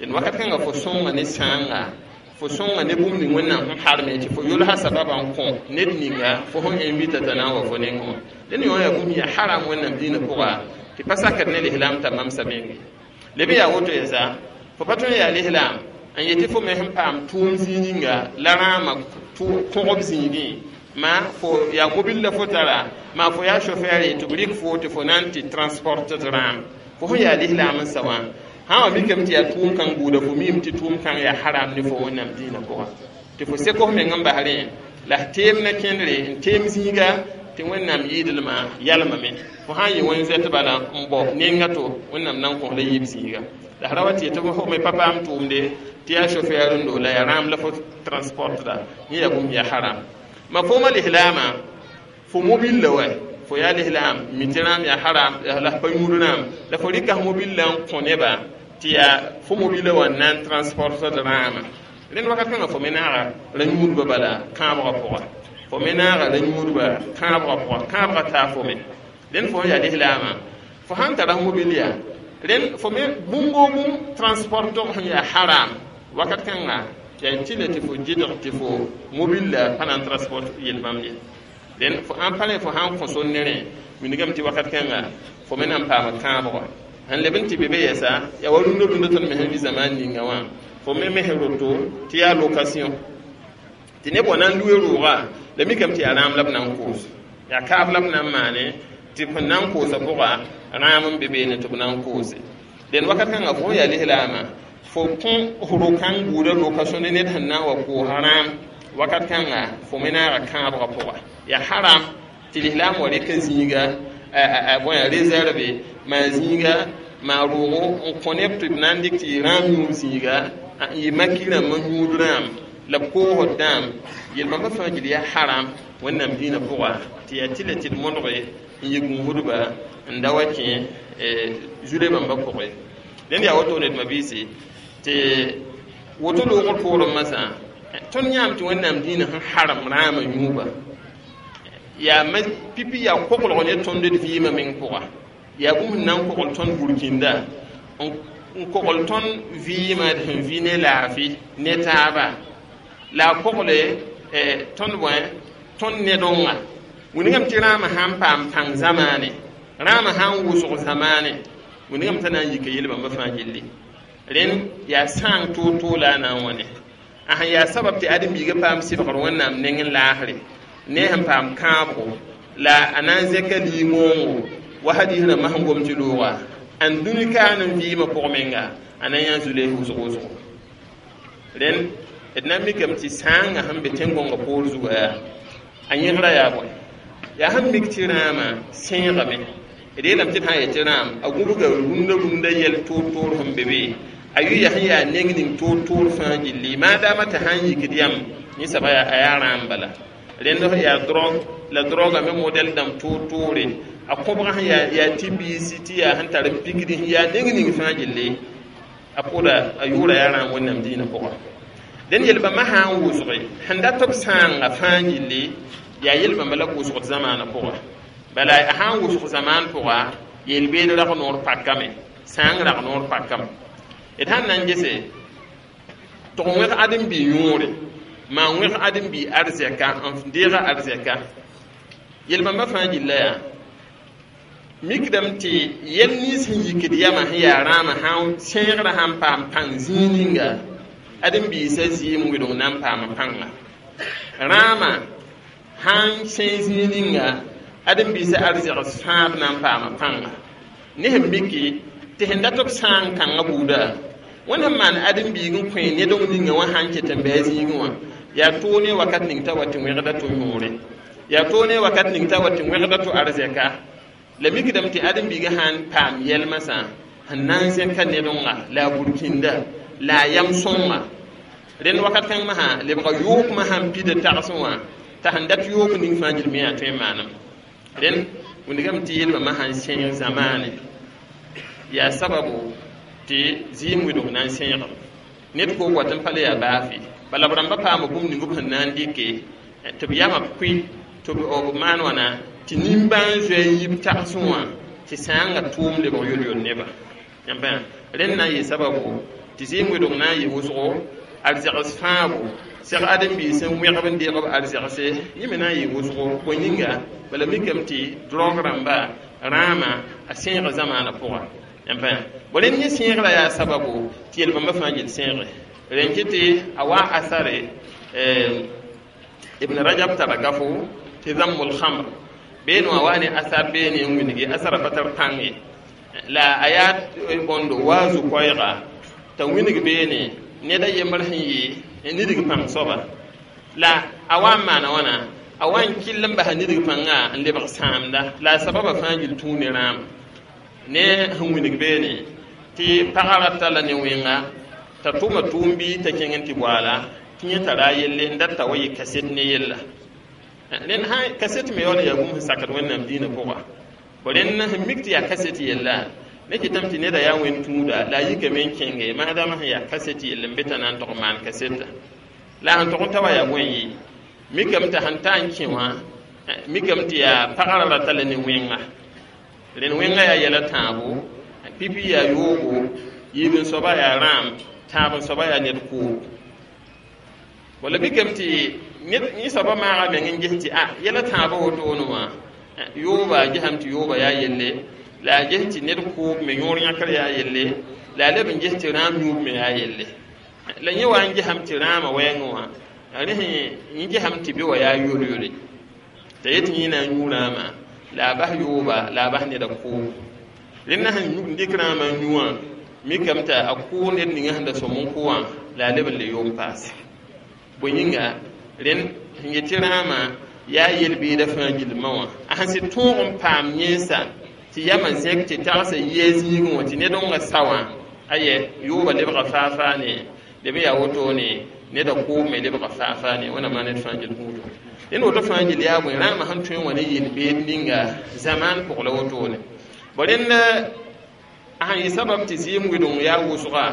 d wakat kãnga fo sõnga ne sãanga fo sõnga ne bũmb ning wẽnnaam sẽn harme tɩ fo yolsa sababã n kõ ned ninga fo sẽn invita t'a na n wa fo nengẽ wã dẽn yõ yaa bũmb yaa haram wẽnnaam dĩinã pʋga tɩ pa sakd ne lislaam t'a mamsa menge leb yaa woto yɛsa fo pa tõe n yaa lislaam n yetɩ fo me sẽn paam tʋʋm zĩig ninga la rãamã kõgb zĩigẽ ma fo yaa mobil la fo tara maa fo yaa chauffeur tɩ b rɩk fo tɩ fo na n tɩ transport d rãam fo sẽn yaa lislaam n sa wã sã wa mikame tɩ yaa tʋʋm kãng buuda fo miime tɩ tʋʋm kãng yaa haram ne fo wẽnnaam dĩinã pʋga tɩ fo sek f meng n bas rẽ la f teem na kẽndre n teem zĩiga Tɩ Wẽnnaam yɩɩdlmã yalmame fo sã n yɩ wẽn zoɛt bala n bao nenga to Wẽnnaam na n kõs la yiib zĩiga la ra wa tɩ tɩ fo me pa paam tʋʋmde tɩ yaa chauffeur n do la yaa rãam la fo transport da yẽ yaa bũmb yaa haram ma fooma lislaamã fo mobil la wa fo yaa lislaam mi tɩ rãam yaa haram la f pa yũud rãam la fo rɩka f mobil la n kõ neba tɩ yaa fo mobila wã n na n transportd rãamã rẽnd wakat kãngã fo me naaga ra-yũudbã bala kãabgã pʋga fo me naaga ra-yũudbã kãabgã pʋga kãabgã taa fo me rẽnd fo yaa lislaamã fo sãn tara f mobil yaa rẽnd fo me bũmb o bũmb transport tog sẽn yaa haram wakat kãnga yaa tɩ la tɩ fo gɩdg tɩ fo mobil la pa na n transport yel-bãmb ye rẽnd fo ãn pa rẽ fo sãn kõ sor ne rẽ wilgame tɩ wakat kãnga fo me na n paama kãabgã sẽn leb n tɩ be be yɛsa yaa wa rũndã rũndã tõnd me sẽn vɩ zamaan ninga wã fo me mes roto tɩ yaa location tɩ neb wa na n lue rooga la mikame tɩ yaa rãam la b na n koos yaa kaaf la b na n maane tɩ b sẽn na n koosa pʋga rãam n be beene tɩ b na n koose dẽn wakat kãngã fo yaa lislaamã fo kõ ro-kãng buudã location ne ned sẽn na n wa koosa rãam wakat kãnga fo me naaga kãabgã pʋga yaa haram tɩ lislaam wa rɩka zĩiga bõe réserve maan zĩiga maa roogo n kõ neb tɩ b na n dɩk tɩ yɩ rãam yũub zĩiga n yɩ maki rãmbã yũud rãam la b koosd dãam yel-bãmba fãa gil yaa haram Wẽnnaam dĩinã pʋga tɩ yaa tɩ la tɩ d modge n yɩ gũusdba n da wa kẽ zule bãmba pʋgẽ rẽnd yaa wotone d mabiisi tɩ woto loogr poorẽ masã tõnd yãam tɩ Wẽnnaam dĩinã sẽn haram rãamã yũuba yaa ma pipi yaa koglg ne tõnd d vɩɩmã meng pʋga yaa bũmb sẽn na n kogl tõnd burkĩnda n kogl tõnd vɩɩmã d sẽn vɩ ne laafɩ ne taaba la a kogle tõnd bõe tõnd nedonga wilgame tɩ rãamã sãn paam pãng zamaane rãamã sãn wʋsg zamaane wilgame t'a na n yika yel-bãmba fãa gilli rẽnd yaa sãang toor-toor la a na n wã ne a sẽn yaa sabab tɩ ãdem-biigã paam sɩbgr Wẽnnaam neng n laasre ne sẽn paam kãabgo la a na n zẽka liimoongo wa hadis rãmbã sẽn gom tɩ looga ãn dũni kaan n vɩɩmã pʋg menga a na n yã zules wʋsg wʋsgo rẽnd d na n mikame tɩ sãangã sẽn be tẽn-gõngã poor zuga yaa a yẽgra yaa bõe yaa sẽn mik tɩ rãamã sẽegame d yeelame tɩ d sã n yetɩ rãam a gũbga rũndã rũndã yɛl toor-toor sẽn be be a yʋ sẽn yaa neng ning toor-toor fãa gilli maadaamã tɩ sãn yikd yam yẽ soaba a yaa rãam bala rẽnd yaa drogue la droga me modɛl dãmb toor-toore a kõbgã sẽn yaa yaa tɩ biisi tɩ yaa sẽn tar n pikdi sẽn yaa neng ning fãa gilli a pʋʋda a yʋʋra yaa rãam Wẽnnaam dĩinã pʋga dẽn yel-bãmbã sã n wʋsge sẽn dat b sãanga fãa gilli yaa yel-bãmba la wʋsgd zamaanã pʋga bala a sã n wʋsg zamaan pʋga yel-beed rag noor pakame sãang rag noor pakame d sãn na n gese tɩg wẽg ãdem-bi yõore maa wẽg ãdem-bi arzɛka n deega arzɛka yel-bãmba fãa gilla yaa mikdame tɩ yɛl nins sẽn yikd yamã sẽn yaa rãamã sã sẽegrã sãn paam pãng zĩig ninga ãdem-biisã zɩɩm wɩdg na n paama pãnga rãamã sãn sẽe zĩig ninga ãdem-biisã arzɛgs fãab na n paama pãnga ne sẽn miki tɩ sẽn dat b sãang kãngã buuda wẽnd sẽn maan ãdem-biig n kõ nedg ninga wã sãn ket n bɩ a zĩigẽ wã yaa toog ne wakat ning t'a wa tɩ wẽgda to yõore yaa toog ne wakat ning t'a wa tɩ wẽgda to arzɛka la mikdame tɩ ãdem-biigã sãn paam yɛlmsã sẽn na n zẽka nedonga la a burkĩnda la a yam sõnga rẽnd wakat kãng masã lebga yookmã sãn pida tagsẽ wã t'a sẽn dat yook ning fãa gil me yaa tõe n maaname rẽnd wingame tɩ yel-bãmba sãn sẽeg zamaane yaa sababu tɩ zɩɩm wɩdg na n sẽegem ned koog wat n pa le yaa baafe bala b rãmba paama bũmb ning b sẽn na n dɩke tɩ b yamã b kʋɩ tɩ b maan wãna tɩ nimbãan zoe n yib tagsẽ wã tɩ sãangã tʋʋm lebg yol-yol neba yãmba rẽnd na n yɩ sababu tɩ zɩɩm wɩdg na n yɩ wʋsgo arzɛgs fãago seg ãdem-biis n wẽgb n deeg b arzɛgse yẽ me na n yɩ wʋsgo bõe yĩnga bala mikame tɩ drog rãmba rãamã a sẽega zamaanã pʋga yãmba bõ rẽnd yẽ sẽegrã yaa sababu tɩ yel-bãmba fãa gil sẽege rẽn kɩ tɩ a wa asare Ibn Rajab tara gafo tɩ zammul khamr beene wã wa ne asar beene n wilgi asara pa tar pãng ye la a yaa bõndo waazu koɛɛga t'a wilg beene ned a yembr sẽn yɩ n nidg pãng soaba la a wa n maana wãna a wa n kell n basa nidg pãnga n lebg sãamda la a sababa fãa gill tũu ne rãam ne sẽn wilg beene tɩ pagã ra talla ne wẽnga t'a tʋma tʋʋm bɩ t'a kẽng n tɩ boaala tɩ yẽ tara a yelle n dat t'a wa yɩ kaset ne yella rẽnd sã kaset me yaool n yaa bũmb sẽn sakd wẽnnaam dĩinã pʋga rẽnd sẽn mik tɩ yaa kaset yella ne kɩtame tɩ neda yaa wẽnd tũuda la a yikame n kẽnge maadama sẽn yaa kaset yell n be t'a na n tog n maan kaseta la sẽn tog n ta wa yaa bõe yɩ mikame t'a sẽn ta n kẽ wã mikame tɩ yaa pagã ra rata la ne wẽnga rẽnd wẽnga yaa yɛla tãabo pipi yaa yoogo yiib n soaba yaa rãam tãab n soaba yaa ned koob wala mikame tɩ yẽ soaba maaga meng n ges tɩ a yɛla tãabã wotone wã yooba gesame tɩ yooba yaa yelle la a ges tɩ ned koob me yõor yãkr yaa yelle la a leb n ges tɩ rãam yũub me yaa yelle la yẽ wa n gesame tɩ rãamã wɛɛngẽ wã rẽ sẽn gesame tɩ be wa yaa yol-yole t'a yet yẽ na n yũ rãamã la a bas yooba la a bas neda koob rẽnda sẽn dɩk rãamã n yũ wã mikame t'a a kʋʋ ned ninga sẽn da sõm n kʋ wã la a leb n le yom paase bõe yĩnga rẽnd sẽn yet tɩ rãamã yaa yel-beeda fãa gilmã wã a sẽn sɩd tõog n paam yẽnsa tɩ yamã zẽk tɩ tagsa yɩa zĩigẽ wã tɩ ned wã sa wã ayɛ yooba lebga faa-faa ne leb n yaa wotone neda kʋʋb me lebga faa-faa ne wẽnnaam ned fãa gil gũudo rẽnd woto fãa gil yaa bõe rãamã sẽn tõe n wa ne yel-beed ninga zamaan pʋg la wotone bõ rẽnd a sẽn yɩ sabab tɩ zɩɩm wɩdeng yaa wʋsga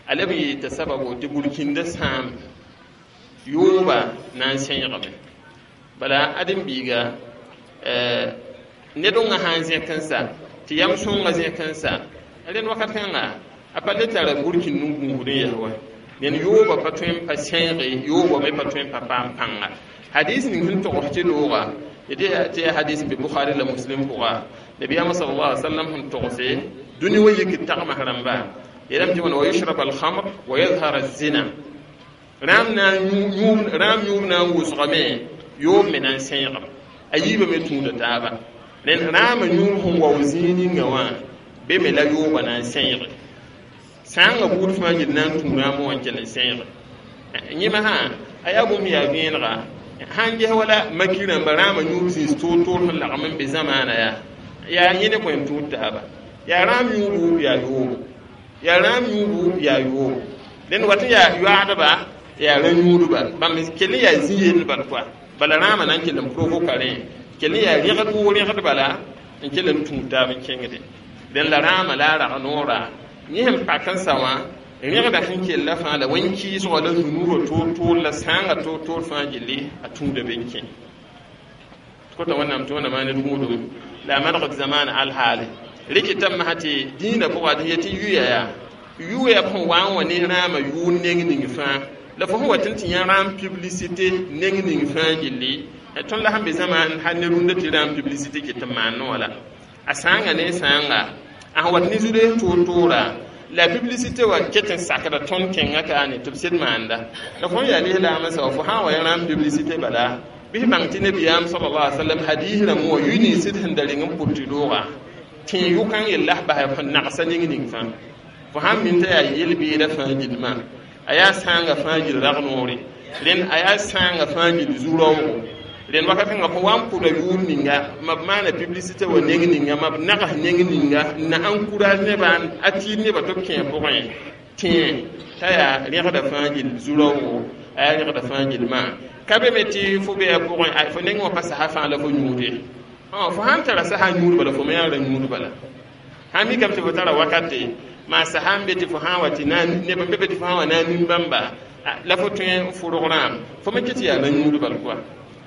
a leb n yɩ t'a sababo tɩ burkĩndã sãam yooba na n sẽegame bala ãdem-biiga ned wã sã n zẽk n sa tɩ yam sõngã zẽk n sa rẽnd wakat kãnga a pa le tara burkĩnd n gũusd n yaa wa ned yooba pa tõe n pa sẽege yooba me pa tõe n pa paam pãnga hadis ning sẽn togs tɩ looga tɩ yaa hadis n be Bukhari la Muslim pʋga nabiyaamã sallallahu alaihi wasallam sẽn togse dũni wa yik tagms rãmba yeelame tɩ wãna wa yushrab alkhamr wa yadhar azina rãam na rãam yũub na n wʋsgame yoob me na n sẽegame a yiibã me tũuda taaba rẽnd rãamã yũub sẽn wao zĩig ninga wã be me la yooba na n sẽege sãangã buud fãa gil na n tũ rãamã wã n kell n sẽege yẽma sã a yaa bũmb yaa vẽenega sãn ges wala maki rãmba rãamã yũub zĩis toor-toor sẽn lagm n be zamaana yaa yaa yẽ ne bõe n tũud taaba yaa rãam yũubu yaa yoobo yaa rãam yũubu yaa yoobo rẽnd wat n yaa yoaadba yaa rã-yũudba bãmb kell n yaa zĩ-yell bal koa bala rãamã na n kell n provoka rẽ kell n yaa rẽgd woo rẽgd bala n kell n tũud taab n kẽngde dẽn la rãamã la a rag noora yẽ sẽn pak n sa wã rẽgda sẽn kella fãa la wẽn-kɩɩsgã la zũnurã toor-toor la sãangã toor-toor fãa gilli a tũuda be n kẽ kota wẽnnaam tɩ wẽnnaam ned gũudum la a manegd zamaana alhaale rɩkɩtame masã tɩ dĩinã pʋga tɩ yetɩ yuya yaa yuya b sẽn wa n wa ne rãamã yʋʋr neng ning fãa la fo sẽn wa tɩ n tɩ yã rãam publicité neng ning fãa gilli tõnd la sẽn be zamaan hal ne rũndã tɩ rãam publicité ket n maan wã la a sãanga ne sãanga a sẽn wat ne zu-dees toor-toora la publicité wa ket n sakda tõnd kẽngã kaane tɩ b sed maanda la fo n yaa lislaamã sa wa fo sã n wa yã rãam publicité bala bɩs bãng tɩ nabiyaam sallallahu alaihi wasallam hadis rãmb wã yʋ ninsd sẽn da reng n pʋt tɩ looga tẽ yʋkãng yella s basɛ sẽn nagsa ning ning fãa fo sãn min t'a yaa yel-beeda fãa gilmã a yaa sãangã fãa gil rag noore rẽnd a yaa sãangã fãa gil zu-raoogo rẽnd wakat kãngã fo wa n pʋda yʋʋr ninga ma b maana publicité wa neng ninga ma b nags neng ninga n na encourage nebã a tiid nebã tɩ b kẽ pʋgẽ tẽ t'a yaa rẽgda fãa gil zu-raoogo a yaa rẽgda fãa gilmã ka be me tɩ fo be a pʋgẽ fo neng wã pa sasa fãa la fo yũude fo sãn tara sasa yũud bala fo me yaa ra yũud bala sãn mikame tɩ fo tara wakate maa sasa n be tɩ fo sã n wa tɩ neb n be be tɩ fo sã n wa na n nin-bãmba la fo tõe n fʋrg rãam fo me kɩ tɩ yaa ra yũud bal koa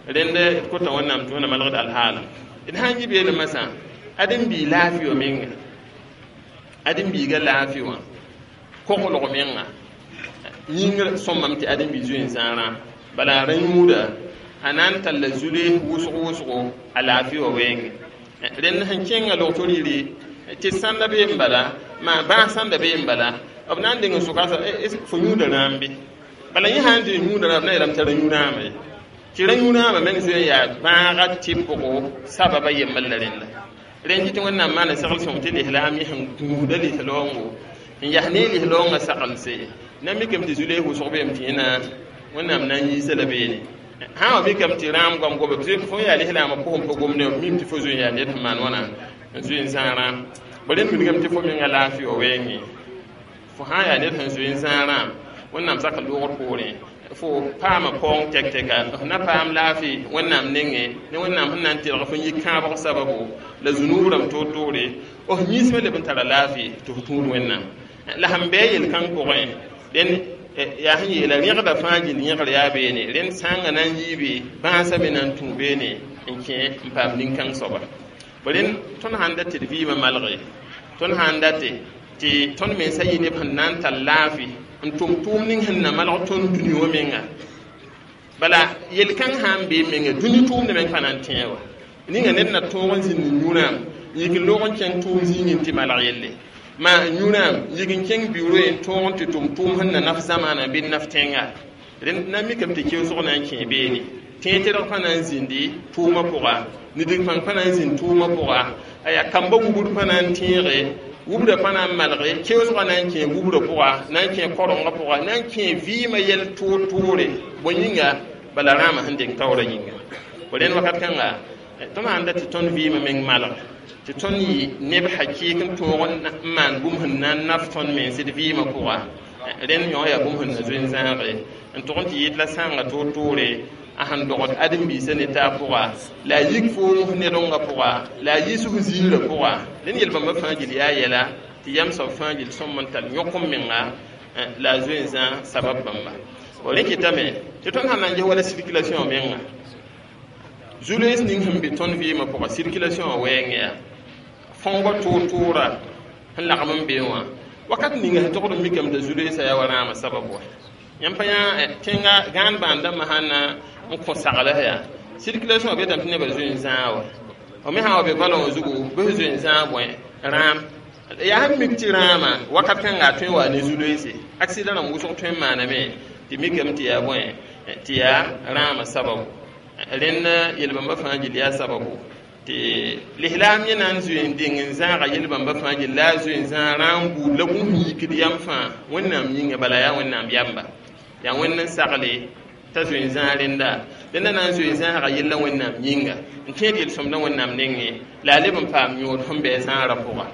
rẽnd d kota wẽnnaam tɩ wẽnna malgd alhaala d sãn yi beene masã ãdem-bii laafɩ wã menga ãdem-biiga laafɩ wã koglg menga yĩngr sõmame tɩ ãdem-bii zoe n zãarã bala a ra yũuda a na n talla zule wʋsg wʋsgo a laafɩ wã wɛɛnge rẽnd sẽn kẽngã log-to rɩɩre tɩ sãnda bee n bala maa bãas sãnda bee n bala b na n deng n soka fo yũuda rãam bɩ bala yẽ sã n dɩ yũuda rãam b na yeelame t'a ra yũ rãama ye tɩ ra yũ rãamã meng zoe n yaa bãaga tɩpgo sababa yembr la rẽnda rẽnd kɩ tɩ wẽnnaam maana segl sõng tɩ lislaam yẽ sẽn gũusda lislaoongo n yas ne lislaoongã sagelse na mikame tɩ zu-lees wʋsg beem tɩ yẽna wẽnnaam na n yiisa la beene Sã wa mikame tɩ rãam goam goame fo yaa lislaamã pʋgẽ pa gom ne mim tɩ fo zoe n yaa ned sẽn maan wãna n zoe n zãag rãam ba rẽnd wilgame tɩ fo menga laafɩ wa wɛɛngẽ fo sã n yaa ned sẽn zoe n zãag rãam wẽnnaam sak loogr poorẽ fo paama paoong tɛk-tɛka f na paam laafɩ wẽnnaam nengẽ ne wẽnnaam sẽn na n telg fo n yi kãabg sababu la zunub rãmb toor-toore f yĩnsmã leb n tara laafɩ tɩ f tũud wẽnnaam la sẽn bɩ a yel-kãng pʋgẽ dẽn yaa sẽn yeela rẽgda fãa gill yẽgr yaa beene rẽnd sãngã na n yiibe bãasã me na n tũ beene n kẽ n paam nin-kãng soaba rẽnd tõnd sãn dat tɩ d vɩɩmã malge tõnd sãn date tɩ tõnd mensã yɩ neb sẽn na n tar laafɩ n tʋm tʋʋm ning sẽn na malg tõnd dũni wã menga bala yel-kãng sã n bee menga dũni tʋʋmdã meng pa na n tẽeg wa ninga ned na tõog n zĩnd yũrãam yik n loog n kẽng tʋʋm zĩigẽ tɩ malg yelle ma yũrãam yik n kẽng biuro n tõog n tɩ tʋm tʋʋm sẽn na naf zamaana bɩ naf tẽnga rẽnd na mikame tɩ keoosg na n kẽ beene tẽeg-tɛrg pa na n zĩndi tʋʋmã pʋga nidig pãng pa na n zĩnd tʋʋmã pʋga aya kamba wubr pa na n tẽege wubra pa na n malge keoosgã na n kẽ wubra pʋga na n kẽ korengã pʋga na n kẽ vɩɩmã yɛl toor-toore bõe yĩnga bala rãamã sẽn deng taoorã yĩnga rẽnd wakat kãnga tõnd sãn dat tɩ tõnd vɩɩmã meng malg tɩ tõnd yɩ neb hakɩɩk n tõog n maan bũmb sẽn na n naf tõnd mens d vɩɩmã pʋga rẽnd yõ yaa bũmb sẽn na zoe n zãage n tʋg n tɩ yɩɩd la sãanga toor-toore a sẽn dogd ãdem-biisã ne taab pʋga la a yik foom ned-rõngã pʋga la a yɩs f ziirã pʋga rẽnd yel-bãmba fãa gill yaa yɛla tɩ yam soab fãa gill sõm n tar yõk n menga la a zoe n zã sabab bãmba rẽ kɩtame tɩ tõnd sãn na n ges wala circulation menga zu-loees ning sẽn be tõnd vɩɩmã pʋga circulation wã wɛɛngẽ yaa fõoga toor-toora sẽn lagm n be wã wakat ninga sẽn togd n mikame t'a zu-loeesã yaa wa rãamã sabab wa yãmb pa yã tẽnga gãan bãandãmbã sãn na n kõ sagls yaa circulation wã betame tɩ nebã zoe n zãag wa f me sã n wa be valẽ wã zugu bɩ f zoe n zãag bõe rãam yaa sẽn mik tɩ rãamã wakat kãnga a tõe n wa ne zu-loeese accident rãmb wʋsg tõe n maaname tɩ mikame tɩ yaa bõe tɩ yaa rãamã sababu rẽnd yel-bãmba fãa gill yaa sababu tɩ lislaam yẽ na n zoe n deng n zãaga yel-bãmba fãa gill la a zoe n zãag rãam buud la bũmb sẽn yikd yam fãa wẽnnaam yĩnga bala yaa wẽnnaam yamba yaa wẽnd n sagle t'a zoe n zãag rẽnda rẽnda na n zoe n zãaga yella wẽnnaam yĩnga n tẽed yel-sõmdã wẽnnaam nengẽ la a leb n paam yõod sẽn bɩ a zãagrã pʋga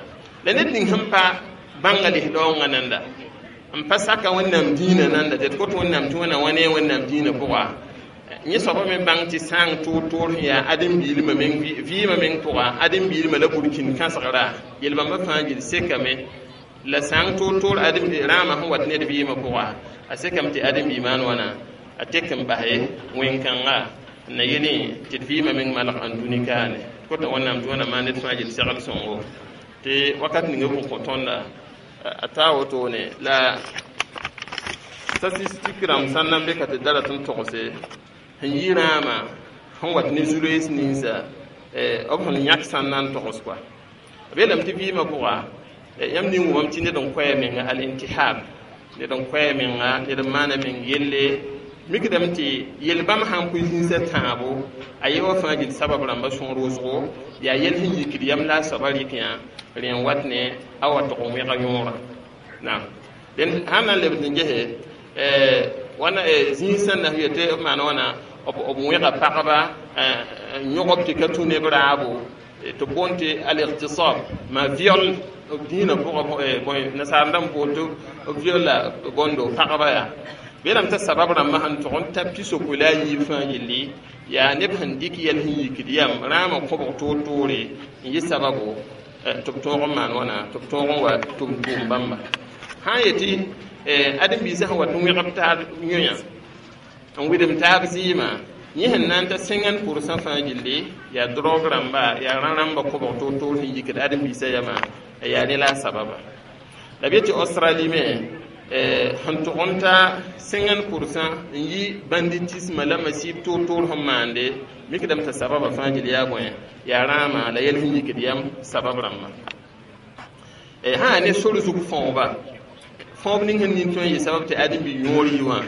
la ned ning sẽn pa bãnga lis-daoongã nanda n pa saka wẽnnaam dĩinã nanda tɩ d kot wẽnnaam tɩ wẽna wã ne wẽnnaam dĩinã pʋga yẽ soaba me bãng tɩ sãang toor-toor sẽn yaa ãdem-biilmã meng vɩɩmã meng pʋga ãdem-biilmã la burkĩn kãsegra yel-bãmbã fãa gill sekame la sãang toor-toor ãdem rãamã sẽn wat ned vɩɩmã pʋga a sekame tɩ ãdem-bi maan wãna a tek n base wẽn-kãnga n na yelẽ tɩ d vɩɩmã meng malg ãn dũni kaane kota wẽnnaam tɩ wẽna maan ned fãa gill segl sõngo tɩ wakat ninga bʋg kõ tõnda a taa wotone la statistique rãmb sã n na n be ka tɩ da rat n togse sẽn yi rãamã sẽn wat ne zu-loees ninsa b sẽn yãk sã n na n togs koa b yeelame tɩ vɩɩmã pʋga yãmb ning wʋmame tɩ ned n koɛɛ menga al-intihab ned n koɛɛ menga ned n maana meng yelle mikdame tɩ yel-bãmb sãn pʋɩ zĩnsã tãabo a ye wã fãa gill sabab rãmba sõor wʋsgo yaa yel sẽn yikd yam la a soaba rɩk yã rẽ n wat ne a wa tʋg n wẽga yõorã naam dẽnd sãn na n lebd n gese wãna zĩig sẽn na yetɩ b maan wãna b wẽga pagba yõgb tɩ ka tũ neb raabo tɩ b boond tɩ al-ightisab ma viol b dĩinã pʋgã bõe nasaar rãmb boond tɩ b viola bõndo pagba yaa beelame t'a sabab rãmbã sẽn tʋg n ta pisopoe la a yiib fãa yelli yaa neb sẽn dɩk yɛl sẽn yikd yam rãamã kõbg toor-toore n yɩ sababu tɩ b tõog n maan wãna tɩ b tõog n wa tʋm tʋʋm bãmba sã n yetɩ ãdem-biisã sẽn wat n wẽgb taab yõyã n wɩdem taab zɩɩmã yẽ sẽn na n ta sẽngã pʋrsã fãa gilli yaa drog rãmba yaa rã-rãmba kõbg toor-toor sẽn yikd ãdem-biisã yamã yaa ne la a sababa la b yetɩ australie me sẽn tʋg n ta sẽngã pʋrsã n yi banditisme la masib toor-toor sẽn maande mikdame t'a sababa fãa gill yaa bõe yaa rãamã la yɛl sẽn yikd yam sabab rãmbã sã yaa ne sor zug fõoba fõob ning sẽn nin tõe n yɩ sabab tɩ ãdem-bi yõor yi wã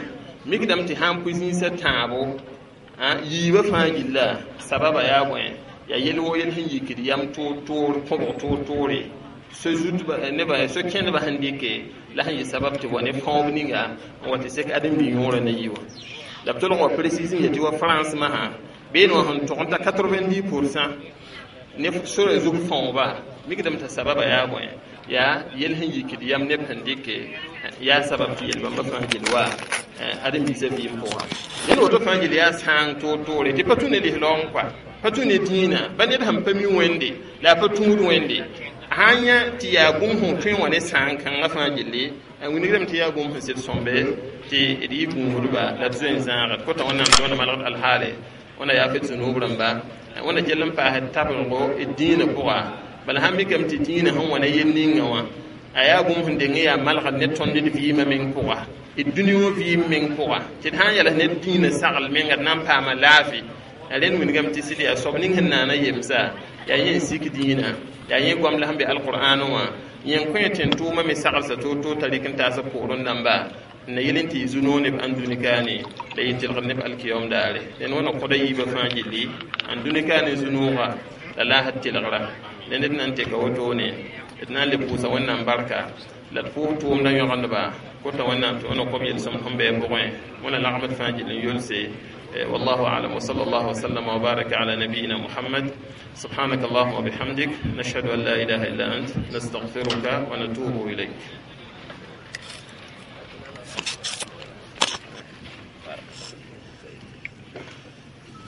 mikdame tɩ sãn pʋɩ zĩnsã tãabo yiibã fãa gilla sababa yaa bõe yaa yel woo yel sẽn yikd yam toor-toor kõbg toor-toore so zutba neba so kẽndbã sẽn dɩke la sẽn yɩ sabab tɩ wa ne fõob ninga n wa tɩ sek ãdem-bi yõorã na yi wã La b tolg wa précise n yetɩ wa France masã beene wã sẽn tog n ta quatre-vingt-dix pour cent ne sora zug fãooba mikdame t'a sababa yaa bõe yaa yel sẽn yikd yam neb sẽn dɩke yaa sabab tɩ yel-bãmba fãa gill wa ãdem-biisã vɩɩm pʋgã ned woto fãa gill yaa sãang toor-toore tɩ pa tũ ne lislaoong kɔa pa tũ ne dĩinã ba ned sẽn pa mi wẽnde la a pa tũud wẽnde sã n yã tɩ yaa bũmb sẽn tõe wã ne sãang kãngã fãa gilli a wilgdame tɩ yaa bũmb sẽn sɩd sõmbe tɩ d yɩ gũudba la d zoe n zãagd kota wẽnnaam tɩ wẽnna malgd alhaale wẽnna yaa f zũnub rãmba wẽnna kell n paasd tablgo d dĩinã pʋga bala sãn mikame tɩ dĩinã sẽn wa ne yel ninga wã a yaa bũmb sẽn deng n yaa malgd ne tõnd d vɩɩmã meng pʋga d dũni wã vɩɩm meng pʋga tɩ d sã n yals ne dĩinã sagl menga d na n paama laafɩ rẽnd wilgame tɩ sɩd yaa soab ning sẽn naana yemsa yaa yẽ n sik dĩinã yaa yẽ goam la sẽn be alqur'an wã yẽ n kõ tẽn tʋʋmã me saglsa toor-toor t'a rɩk n taas b pʋgrẽ dãmba n na yel n tɩ yɩ zu-noog neb ãndũni kaane la yɩ tɩlgd neb alkiyom daare dẽn wãna kõda yiibã fãa gilli ãndũni kaane zu-nooga la laasd tɩlgra la ned na n teka wotone d na n le pʋʋsa wẽnnaam barka la d pʋʋs tʋʋmdã yõgendba kota wẽnnaam tɩ wẽna kob yel-sõmd sẽn bɩ pʋgẽ wẽna lagmd fãa gill n yolse. والله أعلم، وصلى الله وسلم وبارك على نبينا محمد. سبحانك اللهم وبحمدك، نشهد أن لا إله إلا أنت، نستغفرك ونتوب إليك.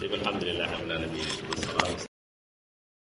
طيب، الحمد لله رب العالمين.